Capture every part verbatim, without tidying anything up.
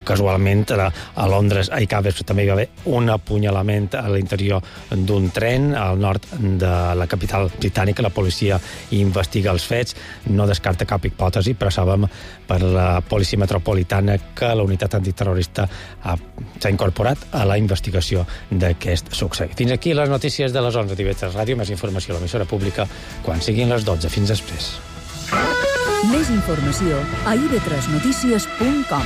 casualment a Londres ahir cap vespre també hi va haver un apunyalament a l'interior d'un tren al nord de la capital britànica. La policia investiga els fets, no descarta cap hipòtesi, però sabem per la policia metropolitana que la unitat antiterrorista s'ha incorporat a la investigació d'aquest succés. Fins aquí les notícies de les onze d'I V tres Ràdio. Més informació a l'emissora pública quan siguin les dotze. Fins després. Més informació a i ve tres notícies punt com.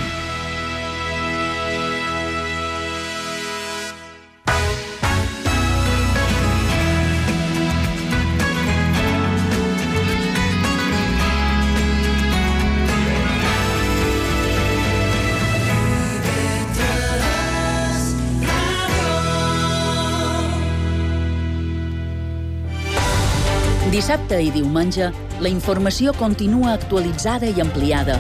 Dissabte i diumenge, la informació continua actualitzada i ampliada.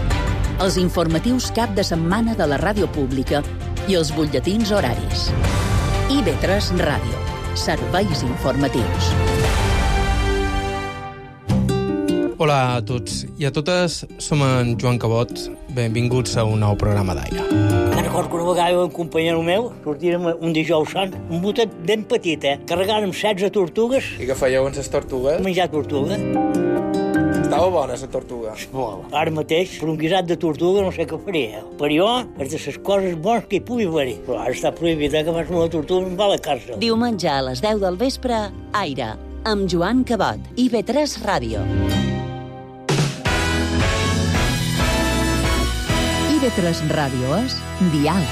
Els informatius cap de setmana de la ràdio pública i els butlletins horaris. I ve tres Ràdio. Serveis informatius. Hola a tots i a totes, som en Joan Cabot. Benvinguts a un nou programa d'Aire. Me'n recordo que una vegada un companyero meu sortirem un dijous sant, un botet ben petit, eh? Carregàrem setze tortugues. I què fèieu amb les tortugues? Menjar tortuga. Estava bona, la tortuga. Molt. Ara mateix, per un guisat de tortuga, no sé què faria. Per jo, és de les coses bones que hi pugui haver-hi. Però ara està prohibit, eh, que abans una tortuga em va a la càrcel. Diumenge a les deu del vespre, Aire, amb Joan Cabot, I ve tres Ràdio. I ve tres Ràdio és Dial.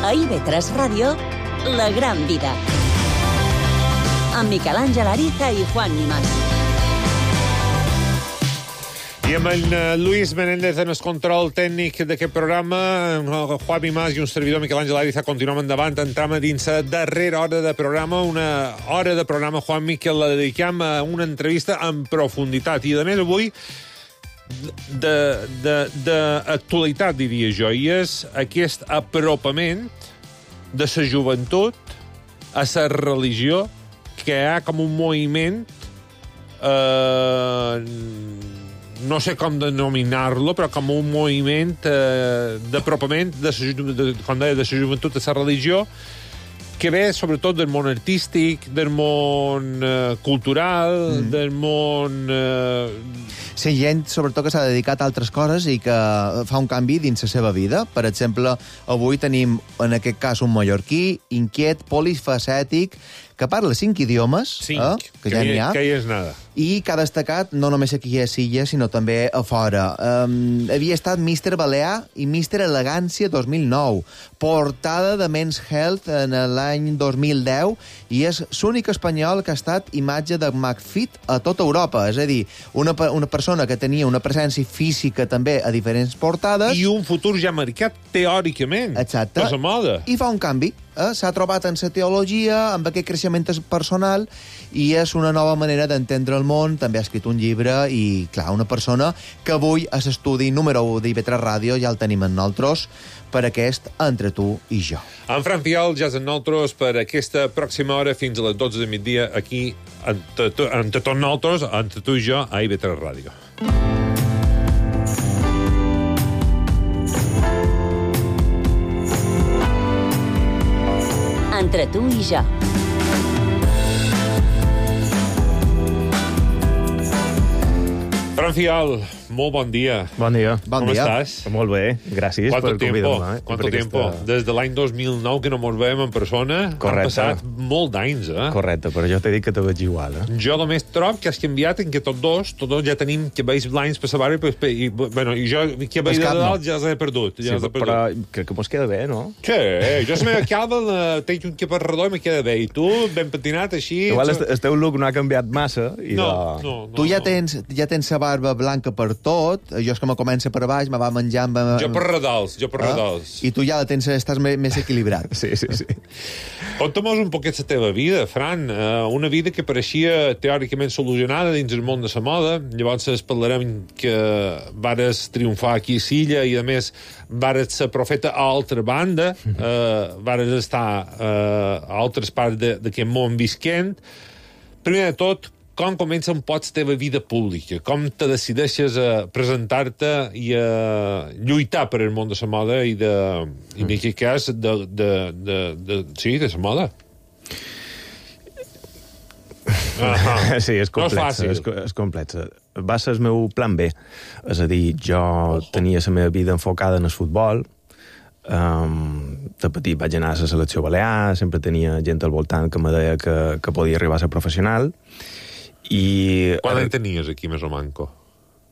A I ve tres Ràdio, La gran vida. Amb Miquel Àngel Ariza i Juan Nimas. I amb en Luis Menéndez en el control tècnic d'aquest programa, Juan Nimas i un servidor, Miquel Àngel Ariza, continuem endavant. Entram a dins la darrera hora de programa, una hora de programa, Juan Miquel, la dediquem a una entrevista en profunditat. I, a més, avui, d'actualitat, diria jo, i és aquest apropament de la joventut a la religió, que hi ha com un moviment, eh, no sé com denominar-lo, però com un moviment eh, d'apropament, de, de, com deia, de la joventut a la religió, que ve sobretot del món artístic, del món eh, cultural, mm. del món... Eh... Sí, gent, sobretot, que s'ha dedicat a altres coses i que fa un canvi dins la seva vida. Per exemple, avui tenim, en aquest cas, un mallorquí inquiet, polifacètic, que parla cinc idiomes, cinc, eh, que ja n'hi ha, que hi és nada. I que ha destacat no només aquí a Silla, sinó també a fora. Um, havia estat míster Balear i míster Elegància dos mil nou, portada de Men's Health en l'any dos mil deu, i és l'únic espanyol que ha estat imatge de McFit a tota Europa. És a dir, una, una persona que tenia una presència física també a diferents portades... I un futur ja marcat, teòricament. Exacte. Per la moda. I fa un canvi. Eh? S'ha trobat en la teologia, amb aquest creixement personal, i és una nova manera d'entendre el món. També ha escrit un llibre i, clar, una persona que avui a l'estudi número u d'I ve tres Ràdio ja el tenim en nosaltres per aquest Entre tu i jo. En Fran Fial ja és en nosaltres per aquesta pròxima hora fins a les dotze de migdia aquí, entre, entre tots nosaltres, entre tu i jo, a I ve tres Ràdio. Entre tu i jo. Fran Fial, molt bon dia. Bon dia. Bon Com dia. estàs? Molt bé, gràcies ¿Cuánto per tiempo? convidar-me. ¿Cuánto tiempo? Aquesta... Des de l'any dos mil nou que no ens veiem en persona. Correcte. Han passat molt d'anys, eh? Correcte, però jo t'he dit que te veig igual, eh? Jo només trobo que has canviat en que tots dos, tots dos ja tenim cabells blancs per la barba i, i, bueno, i jo cabells de dalt ja els he perdut. Ja Sí, els he però perdut. crec que mos queda bé, no? Sí, jo la meva calva eh, tenc un cap redó i me queda bé. I tu, ben patinat, així... Igual el, el teu look no ha canviat massa. I No, de... no, no. Tu ja no. tens, ja tens la barba blanca per tot, jo és que me comença per baix, me va menjar... Amb... Jo per redals, jo per ah? redals. I tu ja la tens, estàs més, més equilibrat. Sí, sí, sí. Conta-mos un poquet la teva vida, Fran. Uh, una vida que pareixia teòricament solucionada dins el món de la moda. Llavors es parlarem que vares triomfar aquí a Silla i, a més, vares ser profeta a altra banda, uh, vares estar uh, a altres parts d'aquest món visquent. Primer de tot, com comença un poc la teva vida pública? Com te decideixes a presentar-te i a lluitar per el món de la moda i, de, i en aquest cas, de, de, de, de, sí, de la moda? Uh-huh. Sí, és complex. No és fàcil. És, és complex. Va ser el meu plan B. És a dir, jo oh. tenia la meva vida enfocada en el futbol. Um, de petit vaig anar a la selecció balear, sempre tenia gent al voltant que me deia que, que podia arribar a ser professional. I... Quan en tenies aquí, més o manco?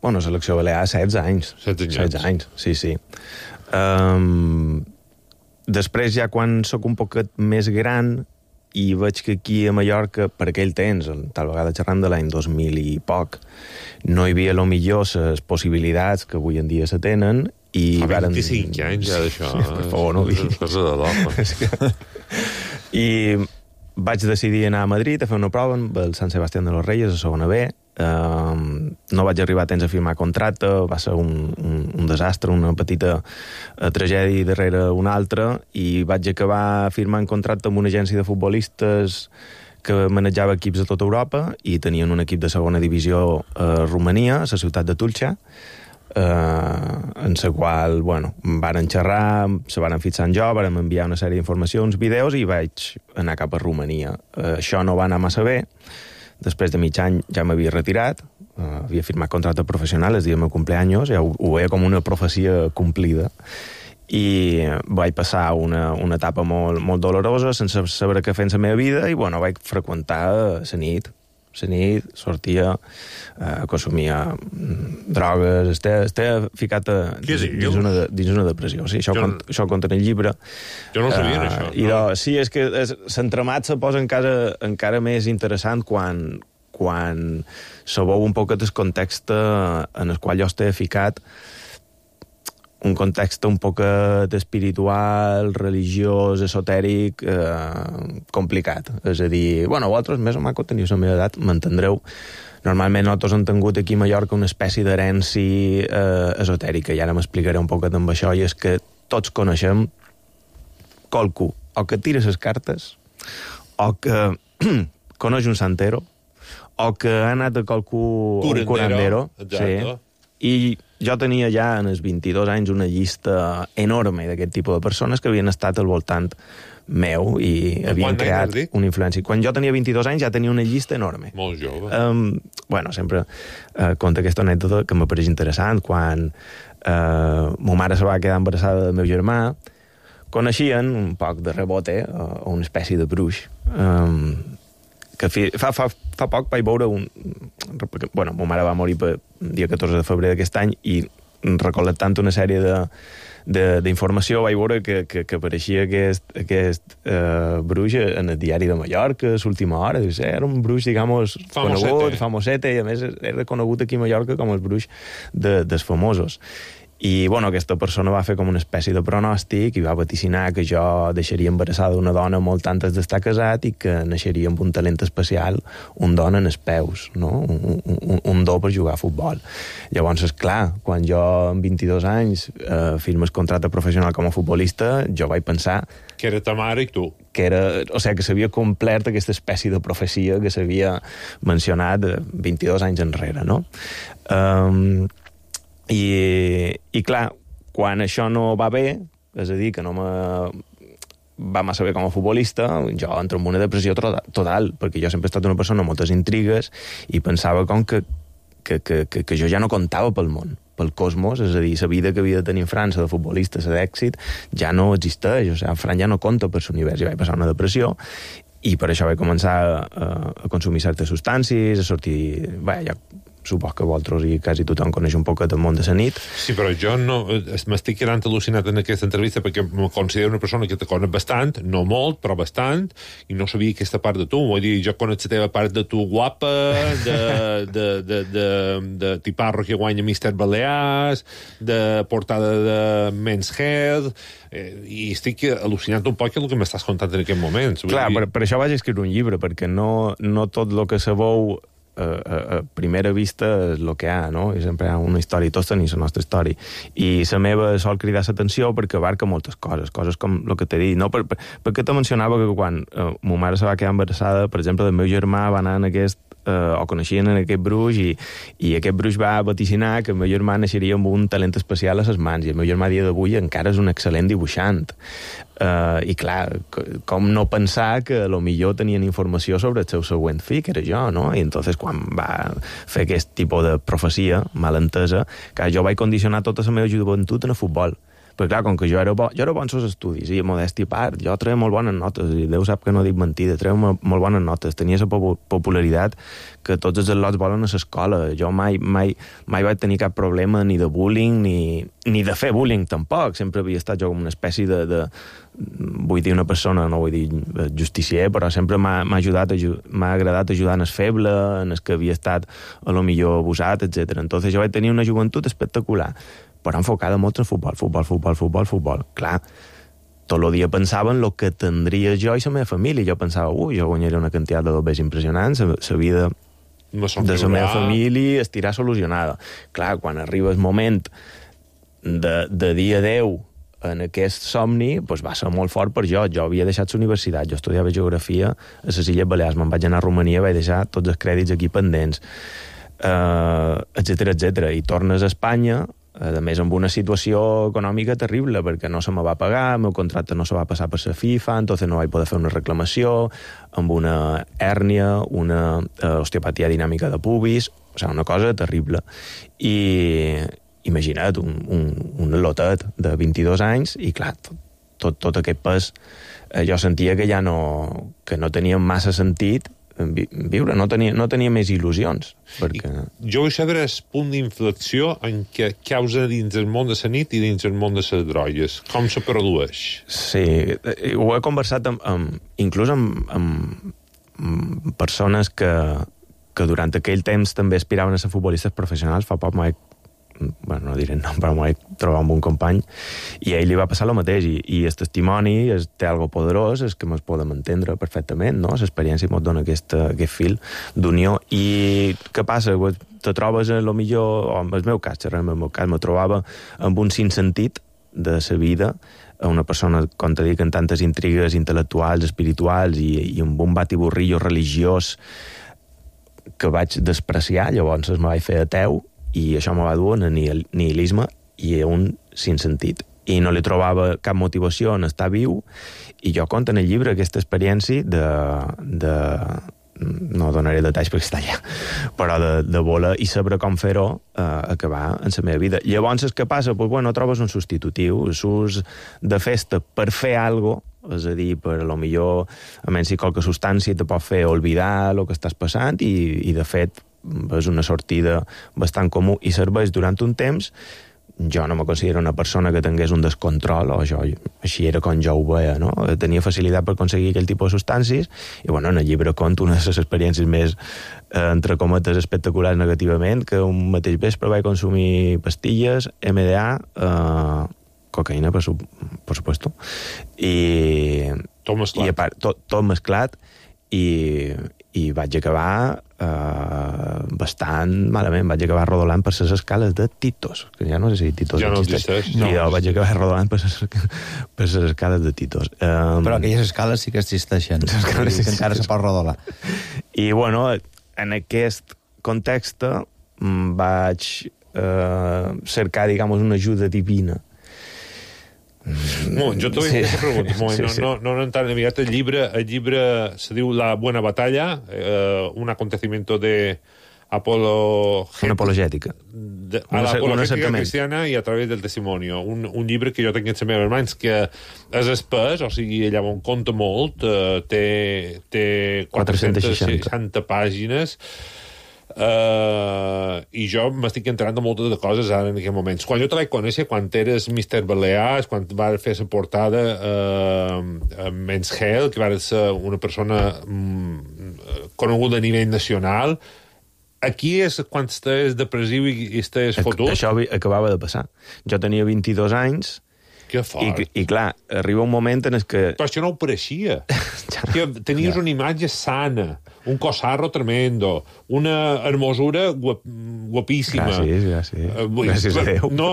Bueno, selecció balear, setze anys. setze anys. setze anys, sí, sí. Um, després, ja quan sóc un poquet més gran i veig que aquí a Mallorca, per aquell temps, tal vegada xerrant de l'any dos mil i poc, no hi havia, lo millor, les possibilitats que avui en dia se tenen, i fa varen... vint-i-cinc anys, ja, d'això. Per favor, no ho diguis. És cosa de l'home. I vaig decidir anar a Madrid a fer una prova amb el Sant Sebastián de los Reyes, a segona B. Uh, no vaig arribar a temps a firmar contracte, va ser un, un, un desastre, una petita uh, tragèdia darrere una altra, i vaig acabar firmant contracte amb una agència de futbolistes que manejava equips de tota Europa, i tenien un equip de segona divisió a Romania, a la ciutat de Tulcha, Uh, en la qual, bueno, varen xerrar, se varen fixar en jo, varen enviar una sèrie d'informacions, vídeos, i vaig anar cap a Romania. Uh, això no va anar massa bé. Després de mig any ja m'havia retirat, uh, havia firmat contracte professional el dia del meu cumpleaños, ja ho, ho veia com una profecia complida, i vaig passar una, una etapa molt, molt dolorosa, sense saber què fer en la meva vida, i, bueno, vaig freqüentar la nit, la nit, sortia, eh, consumia drogues, estava, estava ficat a, dins, dins, una de, dins una depressió. Sí, això, jo, cont, això ho conta en el llibre. Jo no ho sabia, uh, això. I no? do, sí, és que l'entremat se posa encara, encara més interessant quan, quan se veu un poquet el context en el qual jo estava ficat, un context un poquet espiritual, religiós, esotèric, eh, complicat. És a dir, bueno, vosaltres més o menys teniu la meva edat, m'entendreu. Normalment nosaltres hem tingut aquí a Mallorca una espècie d'herència eh, esotèrica, i ara m'explicaré un poquet amb això, i és que tots coneixem qualcú, o que tira les cartes, o que coneix un santero, o que ha anat a qualcú... Curandero, un curandero, exacte. Sí. I jo tenia ja en els vint-i-dos anys una llista enorme d'aquest tipus de persones que havien estat al voltant meu i havien creat una influència. Quan jo tenia vint-i-dos anys ja tenia una llista enorme. Molt jove. Um, bueno, sempre uh, conta aquesta anècdota que m'apareix interessant. Quan uh, ma mare se va quedar embarassada del meu germà, coneixien un poc de rebote uh, una espècie de bruix. Um, que fi, fa, fa, fa poc vaig veure un... Bueno, ma mare va morir el dia catorze de febrer d'aquest any, i recol·lectant una sèrie de d'informació vaig veure que, que, que apareixia aquest, aquest uh, bruix en el diari de Mallorca, a l'última hora. Dius, eh, era un bruix, digamos, famosete. conegut, famosete, i a més era conegut aquí a Mallorca com el bruix de, dels famosos. I, bueno, aquesta persona va fer com una espècie de pronòstic i va vaticinar que jo deixaria embarassada una dona molt antes d'estar casat i que naixeria amb un talent especial, un don en els peus, no? un, un, un do per jugar a futbol. Llavors, esclar, quan jo amb vint-i-dos anys eh, firmes contracte professional com a futbolista, jo vaig pensar... Que era ta mare i tu. Que era, o sigui, que s'havia complert aquesta espècie de profecia que s'havia mencionat vint-i-dos anys enrere, no? Um, I, i clar, quan això no va bé, és a dir, que no me va massa bé com a futbolista, jo entro en una depressió total, perquè jo sempre he estat una persona amb moltes intrigues i pensava com que, que, que, que, que jo ja no comptava pel món, pel cosmos, és a dir, la vida que havia de tenir en França de futbolista, la d'èxit, ja no existeix, o sigui, Fran ja no compta per l'univers, i vaig passar una depressió, i per això vaig començar a, a consumir certes substàncies, a sortir... Bé, ja supos que vosaltres i quasi tothom coneix un poquet del món de la nit. Sí, però jo no m'estic quedant al·lucinat en aquesta entrevista perquè me considero una persona que te conec bastant, no molt, però bastant, i no sabia aquesta part de tu. Vull dir, jo conec la teva part de tu guapa, de, de, de, de, de tiparro que guanya mister Balears, de portada de Men's Health, eh, i estic al·lucinant un poc el que m'estàs contant en aquest moment. Clar, dir... per, per això vaig escriure un llibre, perquè no, no tot el que sabeu a, a, a primera vista és el que hi ha, no? I sempre hi ha una història, tots tenim la nostra història. I la meva sol cridar l'atenció perquè abarca moltes coses, coses com el que t'he dit, no? Per, per, perquè te mencionava que quan eh, ma mare se va quedar embarassada, per exemple, el meu germà va anar en aquest Uh, o coneixien en aquest bruix i, i aquest bruix va vaticinar que el meu germà naixeria amb un talent especial a les mans i el meu germà a dia d'avui encara és un excel·lent dibuixant uh, i clar, com no pensar que a lo millor tenien informació sobre el seu següent fill, que era jo, no? I entonces quan va fer aquest tipus de profecia malentesa, que jo vaig condicionar tota la meva joventut en el futbol. Perquè, clar, com que jo era bo, jo era bo en els estudis, i modèstia a part, jo treia molt bones notes, i Déu sap que no dic mentida, treia molt, molt bones notes, tenia la popularitat que tots els al·lots volen a l'escola. Jo mai, mai, mai vaig tenir cap problema ni de bullying, ni, ni de fer bullying, tampoc. Sempre havia estat jo com una espècie de, de vull dir una persona, no vull dir justicier, però sempre m'ha ajudat, m'ha agradat ajudar en el feble, en el que havia estat a lo millor abusat, etcètera. Entonces jo vaig tenir una joventut espectacular, però enfocada molt en futbol, futbol, futbol, futbol, futbol. Clar, tot el dia pensava en el que tindria jo i la meva família. Jo pensava, ui, jo guanyaria una quantitat de dobbers impressionants, la vida no de la meva família estirà solucionada. Clar, quan arriba el moment de, de dir adeu en aquest somni, doncs va ser molt fort per jo. Jo havia deixat la universitat, jo estudiava geografia a les Illes Balears, me'n vaig anar a Romania, vaig deixar tots els crèdits aquí pendents, uh, etcètera, etcètera. I tornes a Espanya, a més amb una situació econòmica terrible, perquè no se me va pagar, el meu contracte no se va passar per la FIFA, entonces no vaig poder fer una reclamació, amb una hèrnia, una uh, osteopatia dinàmica de pubis, o sigui, una cosa terrible. I imagina't, un, un, un lotet de vint-i-dos anys, i clar, tot, tot, tot aquest pes, eh, jo sentia que ja no, que no tenia massa sentit viure, no tenia, no tenia més il·lusions. Perquè... Jo vull saber el punt d'inflexió en què causa dins el món de la nit i dins el món de les drogues. Com se produeix? Sí, ho he conversat amb, amb, inclús amb, amb, amb persones que, que durant aquell temps també aspiraven a ser futbolistes professionals. Fa poc m'he bueno, no diré nom, però m'ho vaig trobar amb un company i a ell li va passar el mateix i, i el testimoni es, té algo poderós, és que ens podem entendre perfectament, no? L'experiència ens dona aquest, aquest fil d'unió. I què passa? Te trobes a lo millor, o en el meu cas, en el meu cas, me trobava amb un sinssentit de la vida, una persona, com te dic, amb tantes intrigues intel·lectuals, espirituals i, i amb un batiburrillo religiós que vaig despreciar, llavors me vaig fer ateu i això me va dur a nihilisme i a un sinssentit. I no li trobava cap motivació en estar viu, i jo conto en el llibre aquesta experiència de... de no donaré detalls perquè està allà, però de, de voler i saber com fer-ho eh, acabar en la meva vida. Llavors, el que passa? Pues, bueno, trobes un substitutiu, surts de festa per fer alguna cosa, és a dir, per a lo millor, a menys si qualque substància te pot fer oblidar el que estàs passant i, i de fet, és una sortida bastant comú i serveix durant un temps. Jo no me considero una persona que tingués un descontrol, o jo, així era com jo ho veia, no? Tenia facilitat per aconseguir aquell tipus de substàncies, i bueno, en el llibre conto una de les experiències més, eh, entre cometes, espectaculars negativament, que un mateix vespre vaig consumir pastilles, M D A, eh, cocaïna, per, su per supuesto, i... Tot mesclat. I a part, tot, tot mesclat, i, i vaig acabar eh, bastant malament. Vaig acabar rodolant per les escales de Titos, que ja no sé si Titos ja no existeix. No, I jo vaig acabar rodolant per les, per les escales de Titos. Um, Però aquelles escales sí que existeixen. Les escales sí que encara se pot rodolar. I, bueno, en aquest context vaig eh, cercar, diguem, una ajuda divina. Bueno, jo t'ho vull fer aquesta pregunta. Bueno, sí, sí. No, no, no tan aviat. El llibre, el llibre se diu La Buena Batalla, eh, un acontecimiento de Apolo... Una apologètica. De, a la apologètica cristiana i a través del testimonio. Un, un llibre que jo tinc en les meves mans que és espès, o sigui, allà on compta molt, eh, té, té quatre-centes seixanta pàgines. Uh, i jo m'estic enterant de moltes de coses ara en aquests moments. Quan jo te vaig conèixer, quan eres mister Balears, quan vas fer la portada uh, a Men's Health, que vas ser una persona um, coneguda a nivell nacional, aquí és quan estàs depressiu i, i estàs fotut? Això acabava de passar. Jo tenia vint-i-dos anys. Que fort. I, I clar, arriba un moment en el que... Però això no ho pareixia. Que tenies ja. una imatge sana, un cosarro tremendo, una hermosura guap, guapíssima. Gràcies, gràcies. Uh, gràcies a Déu. No,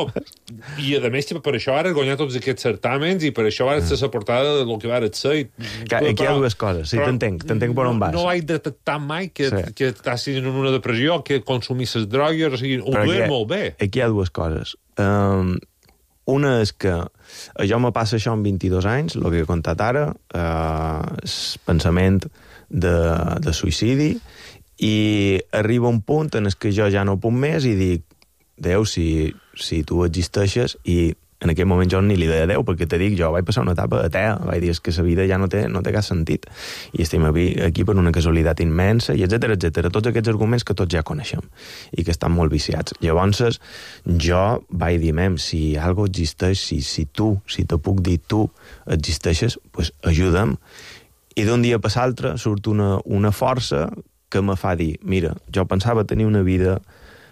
i a més per això ara has guanyat tots aquests certàmens i per això ara ets la portada del que vas ser. I, clar, aquí hi ha dues coses, sí, t'entenc, t'entenc per on vas. No, no he detectat mai que, sí. que estàs en una depressió, que consumisses drogues, o sigui, ho dues molt bé. Aquí hi ha dues coses. Um, Una és que jo me passa això amb vint-i-dos anys, el que he contat ara, eh, és pensament de, de suïcidi, i arriba un punt en què jo ja no puc més i dic, Déu, si, si tu existeixes, i en aquell moment jo ni li deia Déu, perquè te dic, jo vaig passar una etapa atea, vaig dir, és que la vida ja no té, no té cap sentit, i estem aquí per una casualitat immensa, i etcètera, etcètera, tots aquests arguments que tots ja coneixem, i que estan molt viciats. Llavors, jo vaig dir, mem, si algo existeix, si, si tu, si te puc dir tu existeixes, pues ajuda'm, i d'un dia per l'altre surt una, una força que me fa dir, mira, jo pensava tenir una vida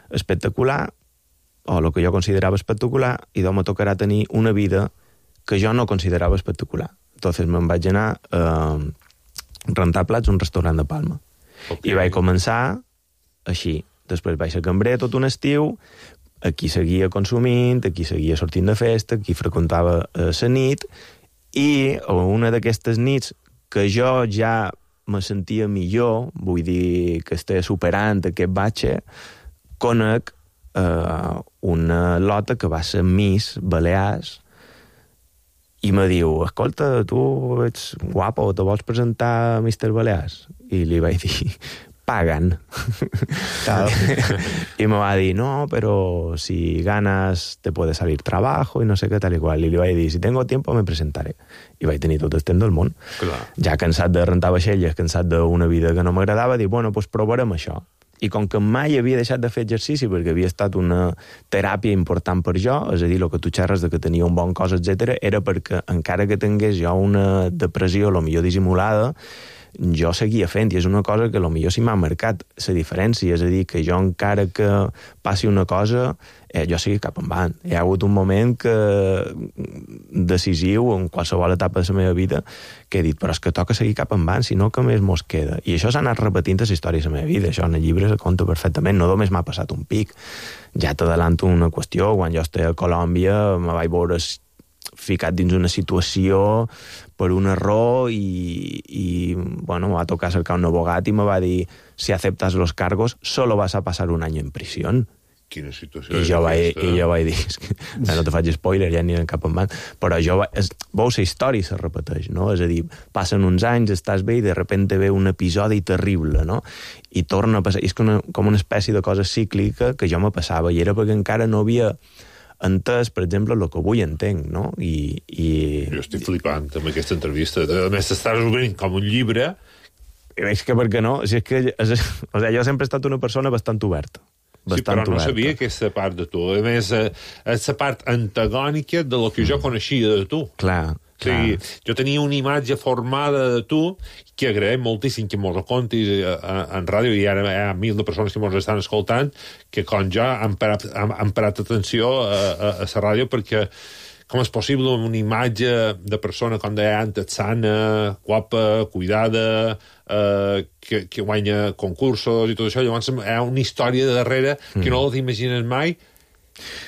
espectacular, o el que jo considerava espectacular, i doncs me tocarà tenir una vida que jo no considerava espectacular. Entonces me'n vaig anar a eh, rentar plats a un restaurant de Palma. Okay. I vaig començar així. Després vaig ser cambrer tot un estiu, aquí seguia consumint, aquí seguia sortint de festa, aquí freqüentava eh, la nit, i una d'aquestes nits que jo ja me sentia millor, vull dir que estava superant aquest batxe, conec Uh, una lota que va ser Miss Balears i me diu, escolta, tu ets guapa o te vols presentar a mister Balears? I li vaig dir, pagan. I me va dir, no, pero si ganas te puede salir trabajo y no sé qué tal y cual. I li vaig dir, si tengo tiempo me presentaré. I vaig tenir tot el temps del món. Clar. Ja cansat de rentar vaixelles, cansat d'una vida que no m'agradava, dic, bueno, pues provarem això. I com que mai havia deixat de fer exercici perquè havia estat una teràpia important per jo, és a dir, el que tu xerres de que tenia un bon cos, etcètera, era perquè encara que tingués jo una depressió, a lo millor dissimulada, jo seguia fent, i és una cosa que a lo millor sí m'ha marcat la diferència, és a dir, que jo encara que passi una cosa, eh, jo sigui cap endavant. Hi ha hagut un moment que decisiu en qualsevol etapa de la meva vida que he dit, però és que toca seguir cap endavant, si no, que més mos queda. I això s'ha anat repetint a la història de la meva vida, això en el llibre se conta perfectament, no només m'ha passat un pic. Ja t'adelanto una qüestió, quan jo estava a Colòmbia me vaig veure ficat dins una situació per un error i, i bueno, me va tocar cercar un abogat i me va dir, si aceptas los cargos, solo vas a pasar un año en prisión. Quina situació. I jo, vaig, i jo vaig dir, que, no te faig spoiler, ja ni en cap en van, però jo vaig, és, veus, la història se repeteix, no? És a dir, passen uns anys, estàs bé i de repente ve un episodi terrible, no? I torna a passar, és com una, com una espècie de cosa cíclica que jo me passava, i era perquè encara no havia entès, per exemple, el que avui entenc, no? I, i... Jo estic flipant amb aquesta entrevista. A més, estàs obrint com un llibre. És que per què no? Si és que, és, o sigui, jo sempre he estat una persona bastant oberta. Sí, però no oberta. Sabia aquesta part de tu. A més, és la part antagònica de lo que jo coneixia de tu. Clar, O sigui, jo tenia una imatge formada de tu que agraïm moltíssim que mos ho contis en ràdio, i ara hi ha mil de persones que mos estan escoltant que com jo han parat, han, han parat atenció a, a, a la ràdio, perquè com és possible una imatge de persona, com deia antes, sana, guapa, cuidada, eh, que, que guanya concursos i tot això. Llavors hi ha una història de darrere que mm. no t'imagines mai,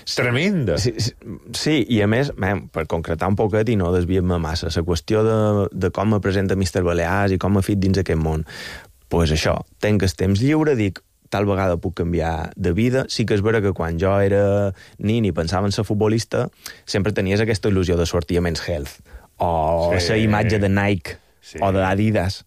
tremenda. Sí, sí, sí, i a més, man, per concretar un poquet i no desviem-me massa, la qüestió de, de com me presenta mister Balears i com me fit dins aquest món, doncs pues això, tenc el temps lliure, dic, tal vegada puc canviar de vida. Sí que és vera que quan jo era nin i pensava en ser futbolista, sempre tenies aquesta il·lusió de sortir a Men's Health, o sí. la imatge de Nike, sí. o d'Adidas.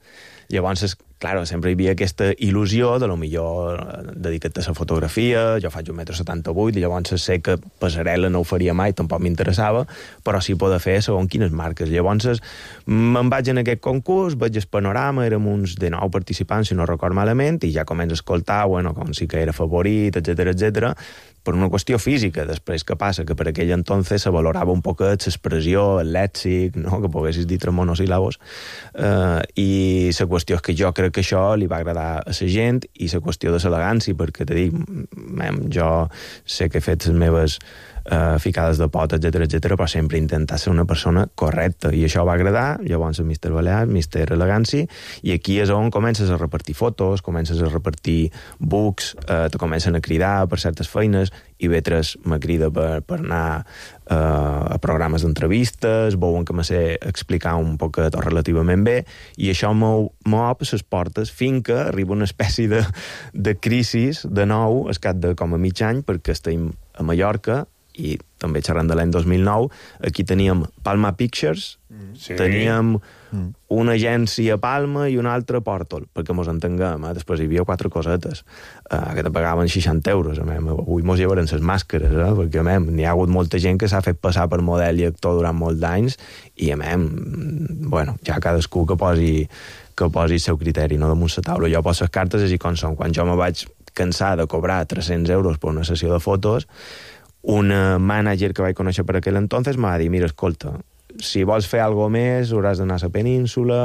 Llavors, claro, sempre hi havia aquesta il·lusió de lo millor dedicat a la fotografia, jo faig un metro setanta-vuit, i llavors sé que passarel·la no ho faria mai, tampoc m'interessava, però sí poder fer segons quines marques. Llavors me'n vaig en aquest concurs, veig el panorama, érem uns de nou participants, si no record malament, i ja començo a escoltar, bueno, com sí que era favorit, etcètera, etcètera, per una qüestió física. Després, què passa? Que per aquell entonces se valorava un poquet l'expressió, el lèxic, no? Que poguessis dir tres monosíl·labos, eh, i la qüestió és que jo crec que això li va agradar a la gent, i la qüestió de l'elegància, perquè te dic, mem, jo sé que he fet les meves eh, ficades de pot, etcètera, etcètera, però sempre intentar ser una persona correcta, i això va agradar. Llavors a mister Balear, mister Elegància, i aquí és on comences a repartir fotos, comences a repartir books, eh, te comencen a cridar per certes feines, i Vetres me crida per, per anar eh, a programes d'entrevistes, veuen que me sé explicar un poquet o relativament bé, i això m'obre les portes fins que arriba una espècie de, de crisi de nou, al cap de com a mig any, perquè estem a Mallorca, i també xerrant de l'any dos mil nou, aquí teníem Palma Pictures, sí. teníem mm. una agència a Palma i una altra a Pòrtol, perquè mos entenguem, eh? Després hi havia quatre cosetes, eh, que te pagaven seixanta euros, eh? Avui mos llevaran les màscares, eh? Perquè eh? n'hi ha hagut molta gent que s'ha fet passar per model i actor durant molts d'anys, i eh? bueno, ja cadascú que posi, que posi el seu criteri, no damunt la taula. Jo poso les cartes així com són. Quan jo me vaig cansar de cobrar tres-cents euros per una sessió de fotos, un mànager que vaig conèixer per aquell entonces m'ha dit, mira, escolta, si vols fer alguna més, hauràs d'anar a la península,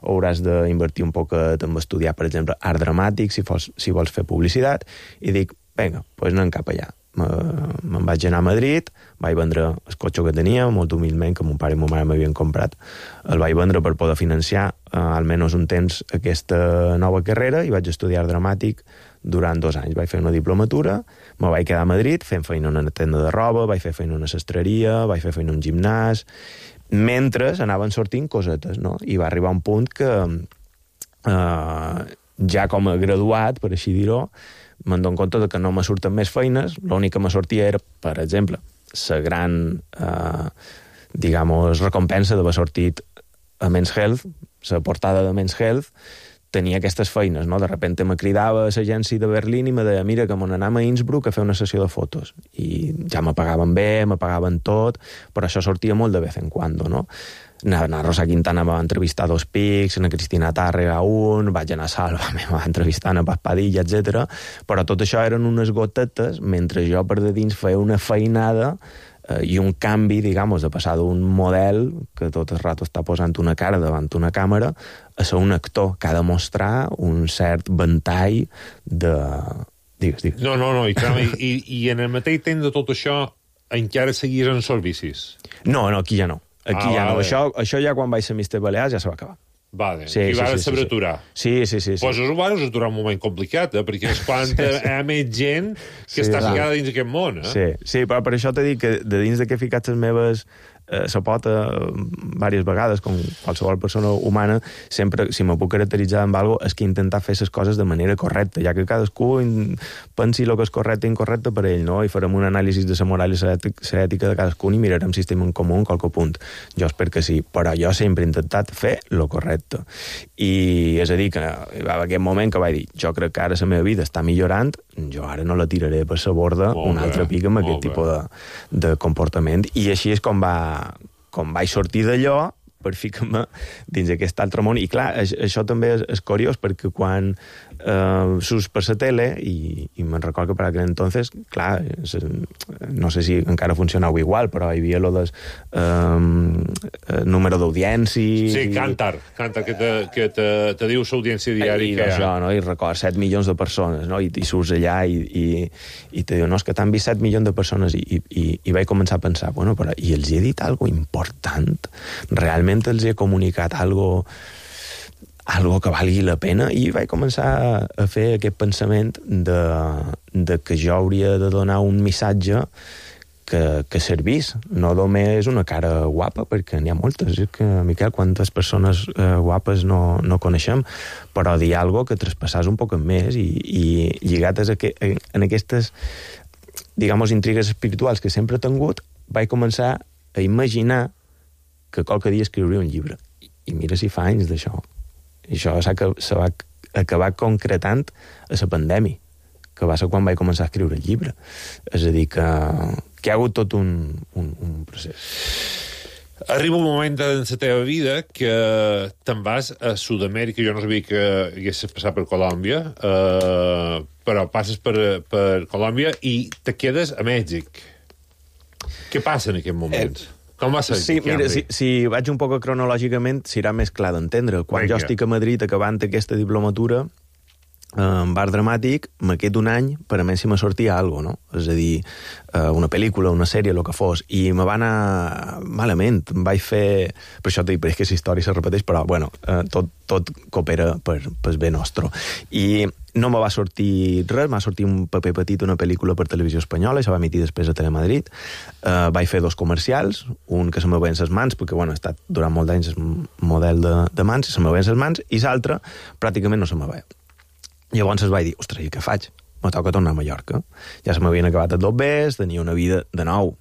o hauràs d'invertir un poquet en estudiar, per exemple, art dramàtic, si vols, si vols fer publicitat, i dic, vinga, doncs pues anem cap allà. Me'n vaig anar a Madrid, vaig vendre el cotxe que tenia, molt humilment, que mon pare i mon mare m'havien comprat, el vaig vendre per poder financiar eh, almenys un temps aquesta nova carrera, i vaig estudiar dramàtic durant dos anys. Vaig fer una diplomatura, me vaig quedar a Madrid fent feina en una tenda de roba, vaig fer feina en una sastreria, vaig fer feina en un gimnàs, mentre anaven sortint cosetes, no? I va arribar un punt que eh, ja com a graduat, per així dir-ho, me'n dono compte que no me surten més feines, l'únic que me sortia era, per exemple, la gran eh, digamos, recompensa d'haver sortit a Men's Health, la portada de Men's Health, tenia aquestes feines, no? De repente me cridava a l'agència de Berlín i me deia, mira, que m'on anam a Innsbruck a fer una sessió de fotos. I ja me pagaven bé, me pagaven tot, però això sortia molt de vez en cuando, no? Anar a Rosa Quintana me va entrevistar a Dos Pics, a Cristina Tàrrega un, vaig anar a Salva, me va entrevistar a Paz Padilla, etcètera. Però tot això eren unes gotetes, mentre jo per de dins feia una feinada eh, i un canvi, digamos, de passar d'un model que tot el rato està posant una cara davant una càmera a ser un actor que ha de mostrar un cert ventall de... Digues, digues. No, no, no, i, i, i en el mateix temps de tot això encara seguís en servicis? No, no, aquí ja no. Aquí ah, ja vale. no. Això, això ja quan vaig ser mister Balears ja se va acabar. Vale, sí, i sí, vas sí, saber sí, aturar. Sí, sí, sí. sí. Pues ho vas aturar un moment complicat, eh? Perquè és quan sí, sí. hi ha més gent que sí, està ficada dins d'aquest món. Eh? Sí, sí, però per això t'he dit que de dins de què he ficat les meves eh, la pota eh, diverses vegades, com qualsevol persona humana, sempre, si me puc caracteritzar amb alguna cosa, és que intentar fer les coses de manera correcta, ja que cadascú pensi el que és correcte i incorrecte per ell, no? I farem un anàlisi de la moral i la ètica de cadascú i mirarem si estem en comú en qualque punt. Jo espero que sí, però jo sempre he intentat fer lo correcte. I és a dir, que hi va haver aquest moment que vaig dir, jo crec que ara la meva vida està millorant, jo ara no la tiraré per la borda un altre pic amb aquest tipus de, de comportament. I així és com, va, com vaig sortir d'allò per ficar-me dins aquest altre món. I clar, això també és, és curiós, perquè quan eh, surts per la tele, i, i me'n recordo que per aquell entonces, clar, no sé si encara funcionava igual, però hi havia lo del eh, número d'audiència... Sí, Cantar, Cantar, que te, que te, te diu l'audiència diària I, que hi ha. Això, no? I record, set milions de persones, no? I, i surts allà i, i, i te diu, no, és que t'han vist set milions de persones, i, i, i vaig començar a pensar, bueno, però i els he dit algo important? Realment els he comunicat algo, algo que valgui la pena? I vaig començar a fer aquest pensament de, de que jo hauria de donar un missatge que, que servís, no només una cara guapa, perquè n'hi ha moltes, és que, Miquel, quantes persones eh, guapes no, no coneixem, però dir algo que traspassàs un poc més i, i lligates a que, en aquestes, digamos, intrigues espirituals que sempre he tingut, vaig començar a imaginar que qualque dia escriuria un llibre. I mira si fa anys d'això. I això se va acabar concretant a la pandèmia, que va ser quan vaig començar a escriure el llibre. És a dir, que, que hi ha hagut tot un, un, un procés. Arriba un moment en la teva vida que te'n vas a Sud-amèrica. Jo no sabia que haguessis passat per Colòmbia, eh, però passes per, per Colòmbia i te quedes a Mèxic. Què passa en aquests moments? Eh, Com va ser? Sí, mira, si, si vaig un poc cronològicament, serà més clar d'entendre. Quan Venga. jo estic a Madrid acabant aquesta diplomatura, en bar dramàtic, me quedo un any per a mi si me sortia alguna cosa, no? És a dir, una pel·lícula, una sèrie, el que fos, i me va anar malament. Em vaig fer... Per això t'he dit, que la història se repeteix, però, bueno, tot, tot coopera per, per bé nostre. I no me va sortir res, m'ha sortit un paper petit, una pel·lícula per televisió espanyola, i se va emitir després a Telemadrid. Uh, vaig fer dos comercials, un que se me veien les mans, perquè, bueno, he estat durant molt d'anys model de, de mans, i se me veien les mans, i l'altre pràcticament no se me veia. Llavors es vaig dir, ostres, i què faig? Me toca tornar a Mallorca. Ja se m'havien acabat els dobbers, tenia una vida de nou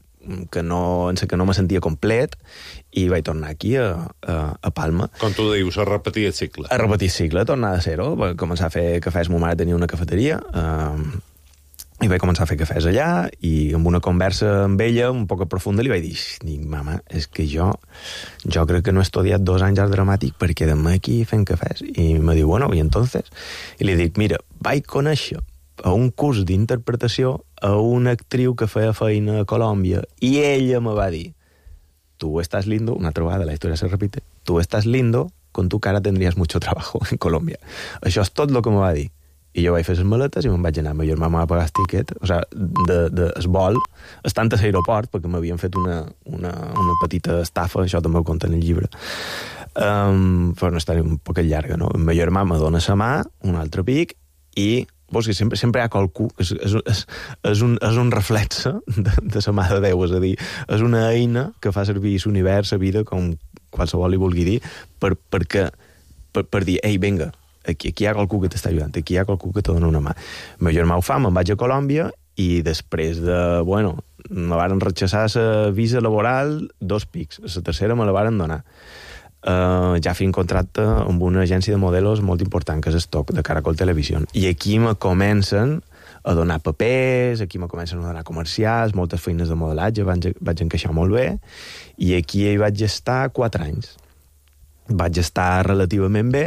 que no, en que no me sentia complet, i vaig tornar aquí a, a, a Palma. Com tu dius, a repetir el cicle. A repetir el cicle, a tornar de zero. Vaig començar a fer cafès, ma mare tenia una cafeteria, eh, i vaig començar a fer cafès allà, i amb una conversa amb ella, un poc profunda, li vaig dir, dic, mama, és que jo jo crec que no he estudiat dos anys art dramàtic per quedar-me aquí fent cafès. I me diu, bueno, i entonces? I li dic, mira, vaig conèixer a un curs d'interpretació a una actriu que feia feina a Colòmbia, i ella me va dir, tu estàs lindo, una altra vegada la història se repite, tu estàs lindo, con tu cara tendrías mucho trabajo en Colòmbia. Això és tot el que me va dir. I jo vaig fer les maletes i me'n vaig anar. Ma germà m'ha pagat el tiquet, o sigui, de, de, es vol, estant a l'aeroport, perquè m'havien fet una, una, una petita estafa, això també ho conta en el llibre. Um, però no està un poc llarga, no? Ma germà me dona la mà, un altre pic, i vols que sempre, sempre hi ha qualcú, és, és, és, és, un, és un reflexe de, de la mà de Déu, és a dir, és una eina que fa servir l'univers, la vida, com qualsevol li vulgui dir, per, perquè, per, per dir, ei, vinga, aquí, aquí hi ha qualcú que t'està ajudant, aquí hi ha qualcú que te dona una mà. El meu germà ho fa, me'n vaig a Colòmbia, i després de, bueno, me varen rechaçar la visa laboral dos pics, la tercera me la varen donar. Uh, ja fent contracte amb una agència de modelos molt important, que és Stock, de Caracol Televisió. I aquí me comencen a donar papers, aquí me comencen a donar comercials, moltes feines de modelatge, vaig, vaig encaixar molt bé, i aquí hi vaig estar quatre anys. Vaig estar relativament bé,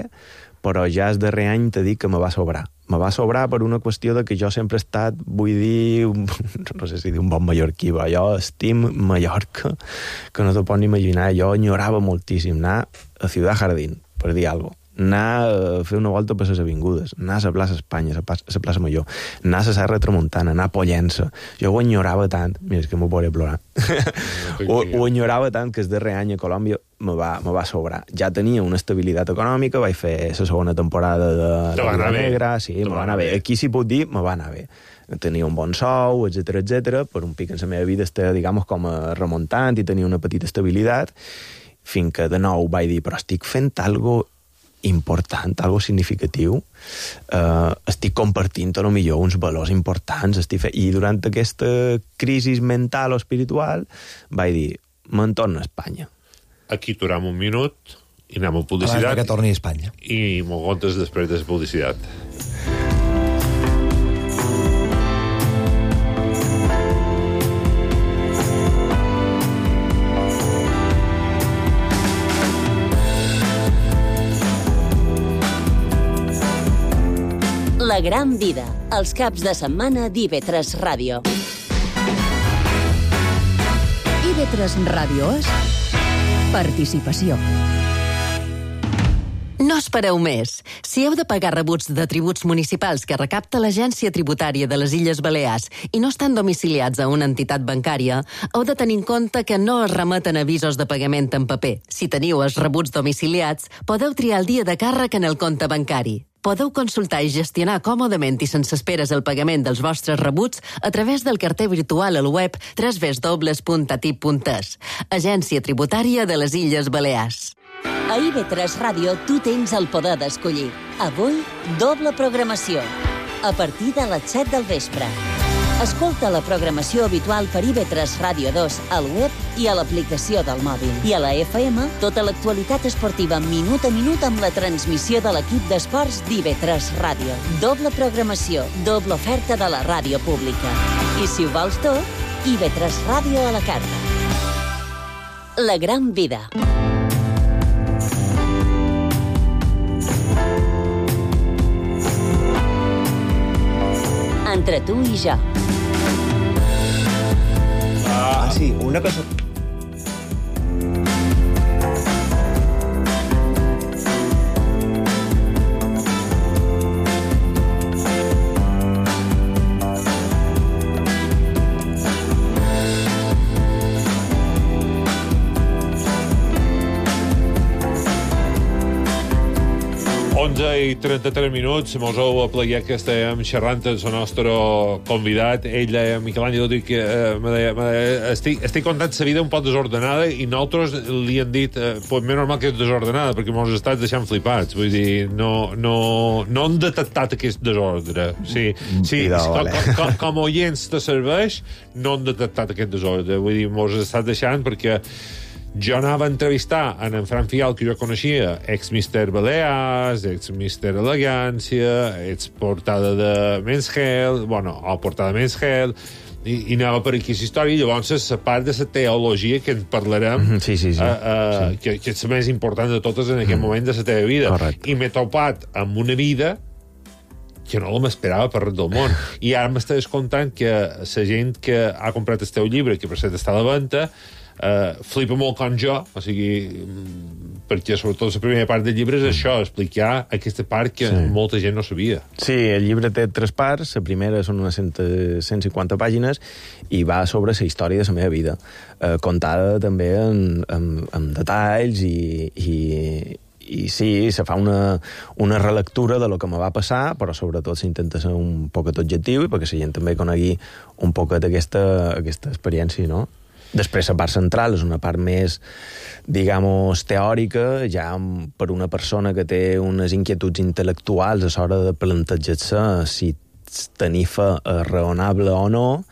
però ja el darrer any t'he dit que me va sobrar. Me va sobrar per una qüestió de que jo sempre he estat, vull dir, no sé si dir un bon mallorquí, però jo estim Mallorca, que no t'ho pots ni imaginar. Jo enyorava moltíssim anar a Ciudad Jardín, per dir alguna cosa. Anar a fer una volta per les avingudes, anar a la plaça Espanya, a la plaça Major, anar a la Serra Tramuntana, anar a Pollença. Jo ho enyorava tant, mira, és que m'ho podré plorar, no, ho, ho enyorava tant que el darrer any a Colòmbia me va, me va sobrar. Ja tenia una estabilitat econòmica, vaig fer la segona temporada de, de La Negra, sí, me va anar bé. Aquí si puc dir, me va anar bé. Tenia un bon sou, etcètera, etcètera. Per un pic en la meva vida estava, diguem, com a remuntant i tenia una petita estabilitat, fins que de nou vaig dir, però estic fent algo important, algo significatiu, uh, estic compartint a lo millor uns valors importants, estic fe... i durant aquesta crisi mental o espiritual vaig dir, me'n torno a Espanya. Aquí aturam un minut i anem a publicitat. Abans que torni a Espanya. I m'ho contes després de la publicitat. La gran vida, els caps de setmana d'I V tres Ràdio. I V tres Ràdio és participació. No espereu més. Si heu de pagar rebuts de tributs municipals que recapta l'Agència Tributària de les Illes Balears i no estan domiciliats a una entitat bancària, heu de tenir en compte que no es remeten avisos de pagament en paper. Si teniu els rebuts domiciliats, podeu triar el dia de càrrec en el compte bancari. Podeu consultar i gestionar còmodament i sense esperes el pagament dels vostres rebuts a través del carter virtual al web w w w punt a t i p punt e s. Agència Tributària de les Illes Balears. A I V tres Ràdio tu tens el poder d'escollir. Avui, doble programació. A partir de les set del vespre. Escolta la programació habitual per I V tres Ràdio dos al web i a l'aplicació del mòbil. I a la F M, tota l'actualitat esportiva minut a minut amb la transmissió de l'equip d'esports d'I V tres Ràdio. Doble programació, doble oferta de la ràdio pública. I si ho vols tot, I V tres Ràdio a la carta. La gran vida. Entre tu i jo. Ah, sí, una cosa... onze i trenta-tres minuts, mos heu aplegat que estàvem xerrant amb el nostre convidat. Ell deia, Miquel Àngel, dic que eh, me deia, me deia, estic, estic contant la vida un poc desordenada i nosaltres li hem dit, eh, pues més normal que és desordenada, perquè mos estàs deixant flipats. Vull dir, no, no, no hem detectat aquest desordre. Sí, sí, com, com, com oients te serveix, no hem detectat aquest desordre. Vull dir, mos estàs deixant perquè jo anava a entrevistar en en Fran Fial, que jo coneixia, ex-mister Balears, ex-mister Elegància, ex-portada de Men's Health, bueno, o portada de Men's Health, i, i anava per aquí aquesta història, i llavors la part de la teologia que en parlarem, mm -hmm, sí, sí, sí. Uh, uh, sí. Que, que és la més important de totes en aquest mm. moment de la teva vida. Correcte. I m'he topat amb una vida que no m'esperava per res del món. I ara m'estaves contant que la gent que ha comprat el teu llibre, que per cert està a la venda, Uh, flipa molt com jo, o sigui, perquè sobretot la primera part del llibre és això, explicar aquesta part que sí. molta gent no sabia. Sí, el llibre té tres parts, la primera són unes cent, cent cinquanta pàgines i va sobre la història de la meva vida, uh, contada també en, en, en detalls i, i, i sí, se fa una, una relectura de lo que me va passar, però sobretot s'intenta ser un poquet objectiu i perquè la gent també conegui un poquet aquesta, aquesta experiència, no? Després, la part central és una part més, digamos, teòrica, ja per una persona que té unes inquietuds intel·lectuals a l'hora de plantejar-se si tenir fe és raonable o no,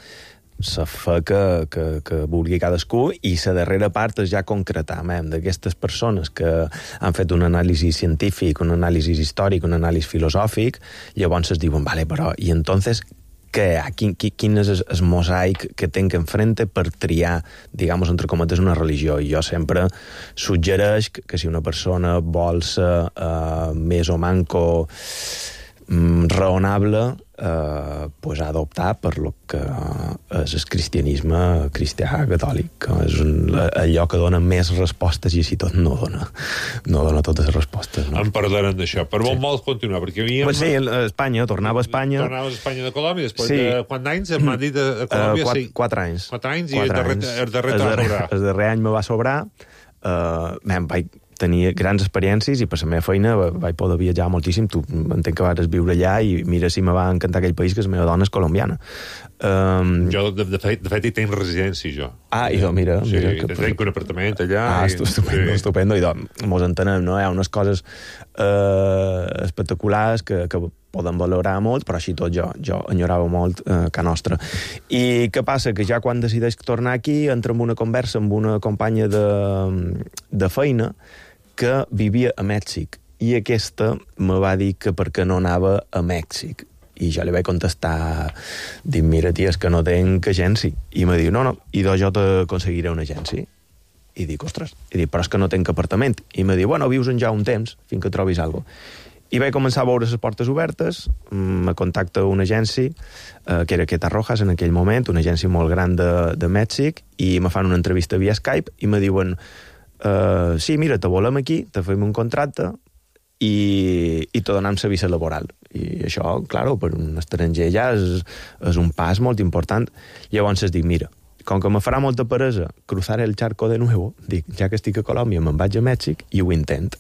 la fe que, que, que vulgui cadascú, i la darrera part és ja concretar d'aquestes persones que han fet un anàlisi científic, un anàlisi històric, un anàlisi filosòfic, llavors es diuen, vale, però, i entonces que, quin, quin és el, el mosaic que tenc enfrente per triar, digamos, entre cometes, una religió. I jo sempre suggereix que, que si una persona vol ser uh, més o manco um, raonable, uh, pues ha d'optar per lo que és el cristianisme cristià catòlic, que és un, allò que dona més respostes i així tot no dona, no dona totes les respostes. No? En parlarem d'això. Per on sí. vols continuar? Perquè havíem... Pues sí, a Espanya, tornava a Espanya... Tornaves a Espanya de Colòmbia, després sí. de quants anys m'ha dit a Colòmbia? Uh, quatre, sí. quatre anys. Quatre anys, quatre i el darrer, anys. el darrer el darrer, sobrar. El darrer any me va sobrar. Uh, man, vaig tenir grans experiències i per la meva feina vaig poder viatjar moltíssim. Tu entenc que vas viure allà i mira si me va encantar aquell país, que la meva dona és colombiana. Um... Jo, de, de, fet, de fet, hi tenc residència, jo. Ah, idò, mira. Sí, mira que... tenc un apartament allà. Ah, i... estupendo, sí. estupendo. Idò, mos entenem, no? Hi ha unes coses uh, espectaculars que, que poden valorar molt, però així tot jo, jo enyorava molt eh, ca nostra. I què passa? Que ja quan decideix tornar aquí, entra en una conversa amb una companya de, de feina que vivia a Mèxic, i aquesta me va dir que per què no anava a Mèxic. I jo li vaig contestar, dic, mira, tia, és que no tenc agència. I me diu, no, no, i doncs jo t'aconseguiré una agència. I dic, ostres, i dic, però és que no tenc apartament. I me diu, bueno, vius en ja un temps, fins que trobis alguna cosa. I vaig començar a veure les portes obertes, me contacta una agència, eh, que era Queta Rojas en aquell moment, una agència molt gran de, de Mèxic, i me fan una entrevista via Skype, i me diuen, eh, sí, mira, te volem aquí, te fem un contracte, i, i te donem la visa laboral. I això, clar, per un estranger ja és, és un pas molt important. Llavors es dic, mira, com que me farà molta peresa cruzar el charco de nuevo, dic, ja que estic a Colòmbia, me'n vaig a Mèxic i ho intent.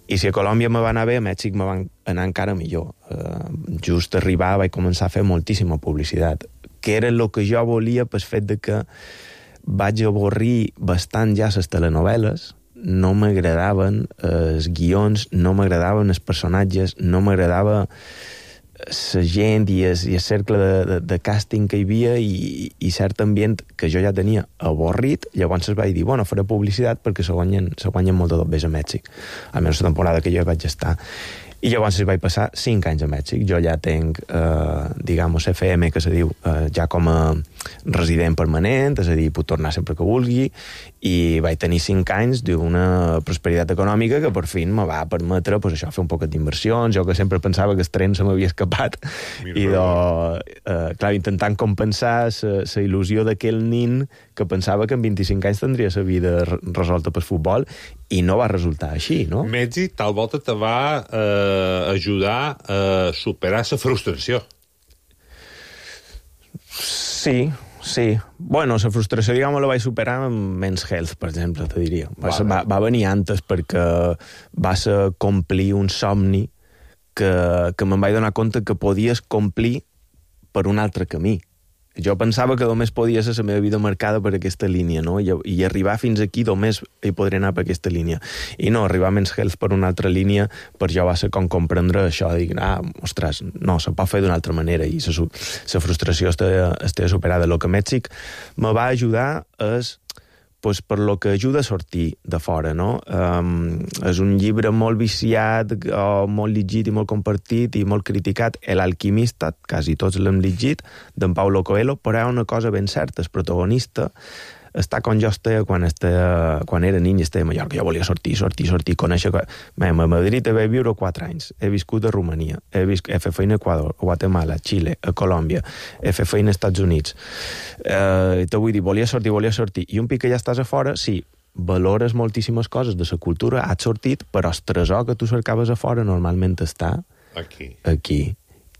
I si a Colòmbia me va anar bé, a Mèxic me va anar encara millor. Uh, just arribar vaig començar a fer moltíssima publicitat, que era el que jo volia pel fet de que vaig avorrir bastant ja les telenovel·les, no m'agradaven els guions, no m'agradaven els personatges, no m'agradava la gent i el, i el cercle de, de, de càsting que hi havia i, i cert ambient que jo ja tenia avorrit, llavors es vaig dir, bueno, faré publicitat perquè se guanyen, se guanyen molt de dobbers a Mèxic, almenys la temporada que jo vaig estar. I llavors es vaig passar cinc anys a Mèxic. Jo ja tenc, eh, digamos, F M, que se diu, eh, ja com a resident permanent, és a dir, puc tornar sempre que vulgui, i vaig tenir cinc anys d'una prosperitat econòmica que per fi me va permetre pues, això, fer un poquet d'inversions. Jo que sempre pensava que el tren se m'havia escapat, Mira, i de, eh, clar, intentant compensar la il·lusió d'aquell nin que pensava que en vint-i-cinc anys tindria la vida resolta pel futbol, i no va resultar així, no? Mèxic tal volta te va eh, ajudar a superar la frustració. Sí, sí. Bueno, la frustració, diguem, la vaig superar amb Men's Health, per exemple, te diria. Va, vale. va, va venir antes perquè va ser complir un somni que, que me'n vaig donar compte que podies complir per un altre camí. Jo pensava que només podia ser la meva vida marcada per aquesta línia, no? I, i arribar fins aquí només hi podré anar per aquesta línia. I no, arribar a Men's Health per una altra línia, per jo va ser com comprendre això, dir, ah, ostres, no, se pot fer d'una altra manera, i la frustració està, està superada. El que Mèxic me va ajudar és pues, per lo que ajuda a sortir de fora, no? Um, és un llibre molt viciat, o molt llegit i molt compartit i molt criticat, El alquimista, quasi tots l'hem llegit, d'en Paulo Coelho, però hi ha una cosa ben certa, el protagonista està com jo estava quan, estava, quan era nin i estava a Mallorca. Jo volia sortir, sortir, sortir, conèixer... A Madrid vaig viure quatre anys, he viscut a Romania, he, viscut, he fet feina a Equador, a Guatemala, a Xile, a Colòmbia, he fet feina als Estats Units. Eh, te vull dir, volia sortir, volia sortir. I un pic que ja estàs a fora, sí, valores moltíssimes coses de la cultura, has sortit, però el tresor que tu cercaves a fora normalment està aquí. aquí.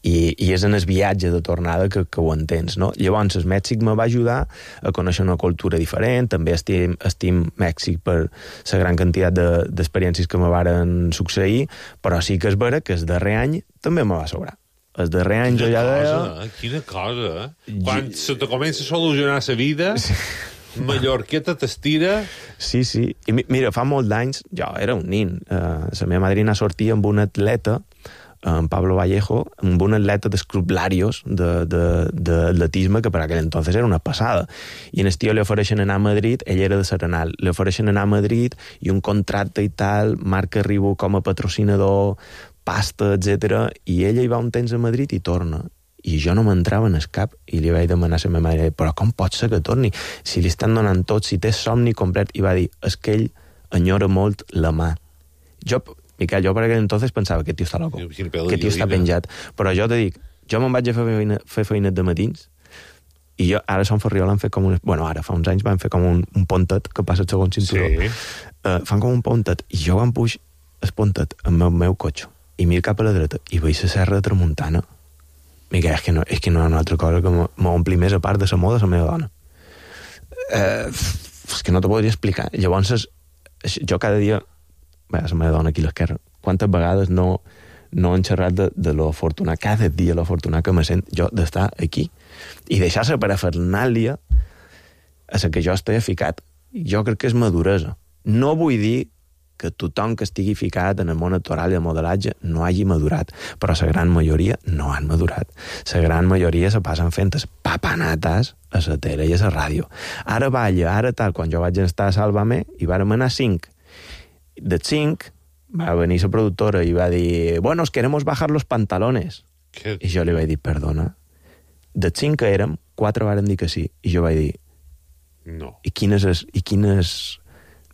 I, i és en el viatge de tornada que, que ho entens, no? Llavors, el Mèxic me va ajudar a conèixer una cultura diferent, també estim, estim Mèxic per la gran quantitat d'experiències que me varen succeir, però sí que és vera que el darrer any també me va sobrar. El darrer any quina jo ja deia... Cosa, quina cosa, eh? Quan I... se te comença a solucionar la vida... Sí. Mallorqueta t'estira... Sí, sí. I mira, fa molt d'anys, jo era un nin, uh, la meva madrina sortia amb un atleta, en Pablo Vallejo, amb un atleta d'escruplarios d'atletisme que per aquell entonces era una passada. I en el tio li ofereixen anar a Madrid, ell era de Serenal, li ofereixen anar a Madrid i un contracte i tal, marca Ribó com a patrocinador, pasta, etcètera, i ella hi va un temps a Madrid i torna. I jo no m'entrava en el cap i li vaig demanar a la meva mare, però com pot ser que torni? Si li estan donant tot, si té somni complet, i va dir, és que ell enyora molt la mà. Jo... Miquel, jo per aquell entonces pensava que tio està loco, que tio està penjat. Però jo te dic, jo me'n vaig a fer feina, fer feinet de matins i jo, ara som Ferriol han fet com un... Bueno, ara, fa uns anys van fer com un, un pontet que passa el segon cinturó. Sí. Uh, fan com un pontet i jo em puix el pontet amb el meu cotxe i miro cap a la dreta i veig la serra de Tramuntana. Miquel, és que no, és que no hi ha una altra cosa que m'ompli més a part de la moda la meva dona. Uh, és que no t'ho podria explicar. Llavors, jo cada dia... Bé, la meva dona aquí a l'esquerra, quantes vegades no, no han xerrat de, de lo afortunat, cada dia lo afortunat que me sent jo d'estar aquí i deixar-se per a Fernàlia a la que jo estigui ficat. Jo crec que és maduresa. No vull dir que tothom que estigui ficat en el món actoral i el modelatge no hagi madurat, però la gran majoria no han madurat. La gran majoria se passen fent papanates a la tele i a la ràdio. Ara balla, ara tal, quan jo vaig estar a Sálvame i vàrem anar cinc. De cinc va venir la productora i va dir, bueno, os queremos bajar los pantalones. ¿Qué? I jo li vaig dir, perdona. De cinc que érem, quatre varen dir que sí. I jo vaig dir, no. I quines és... I quines...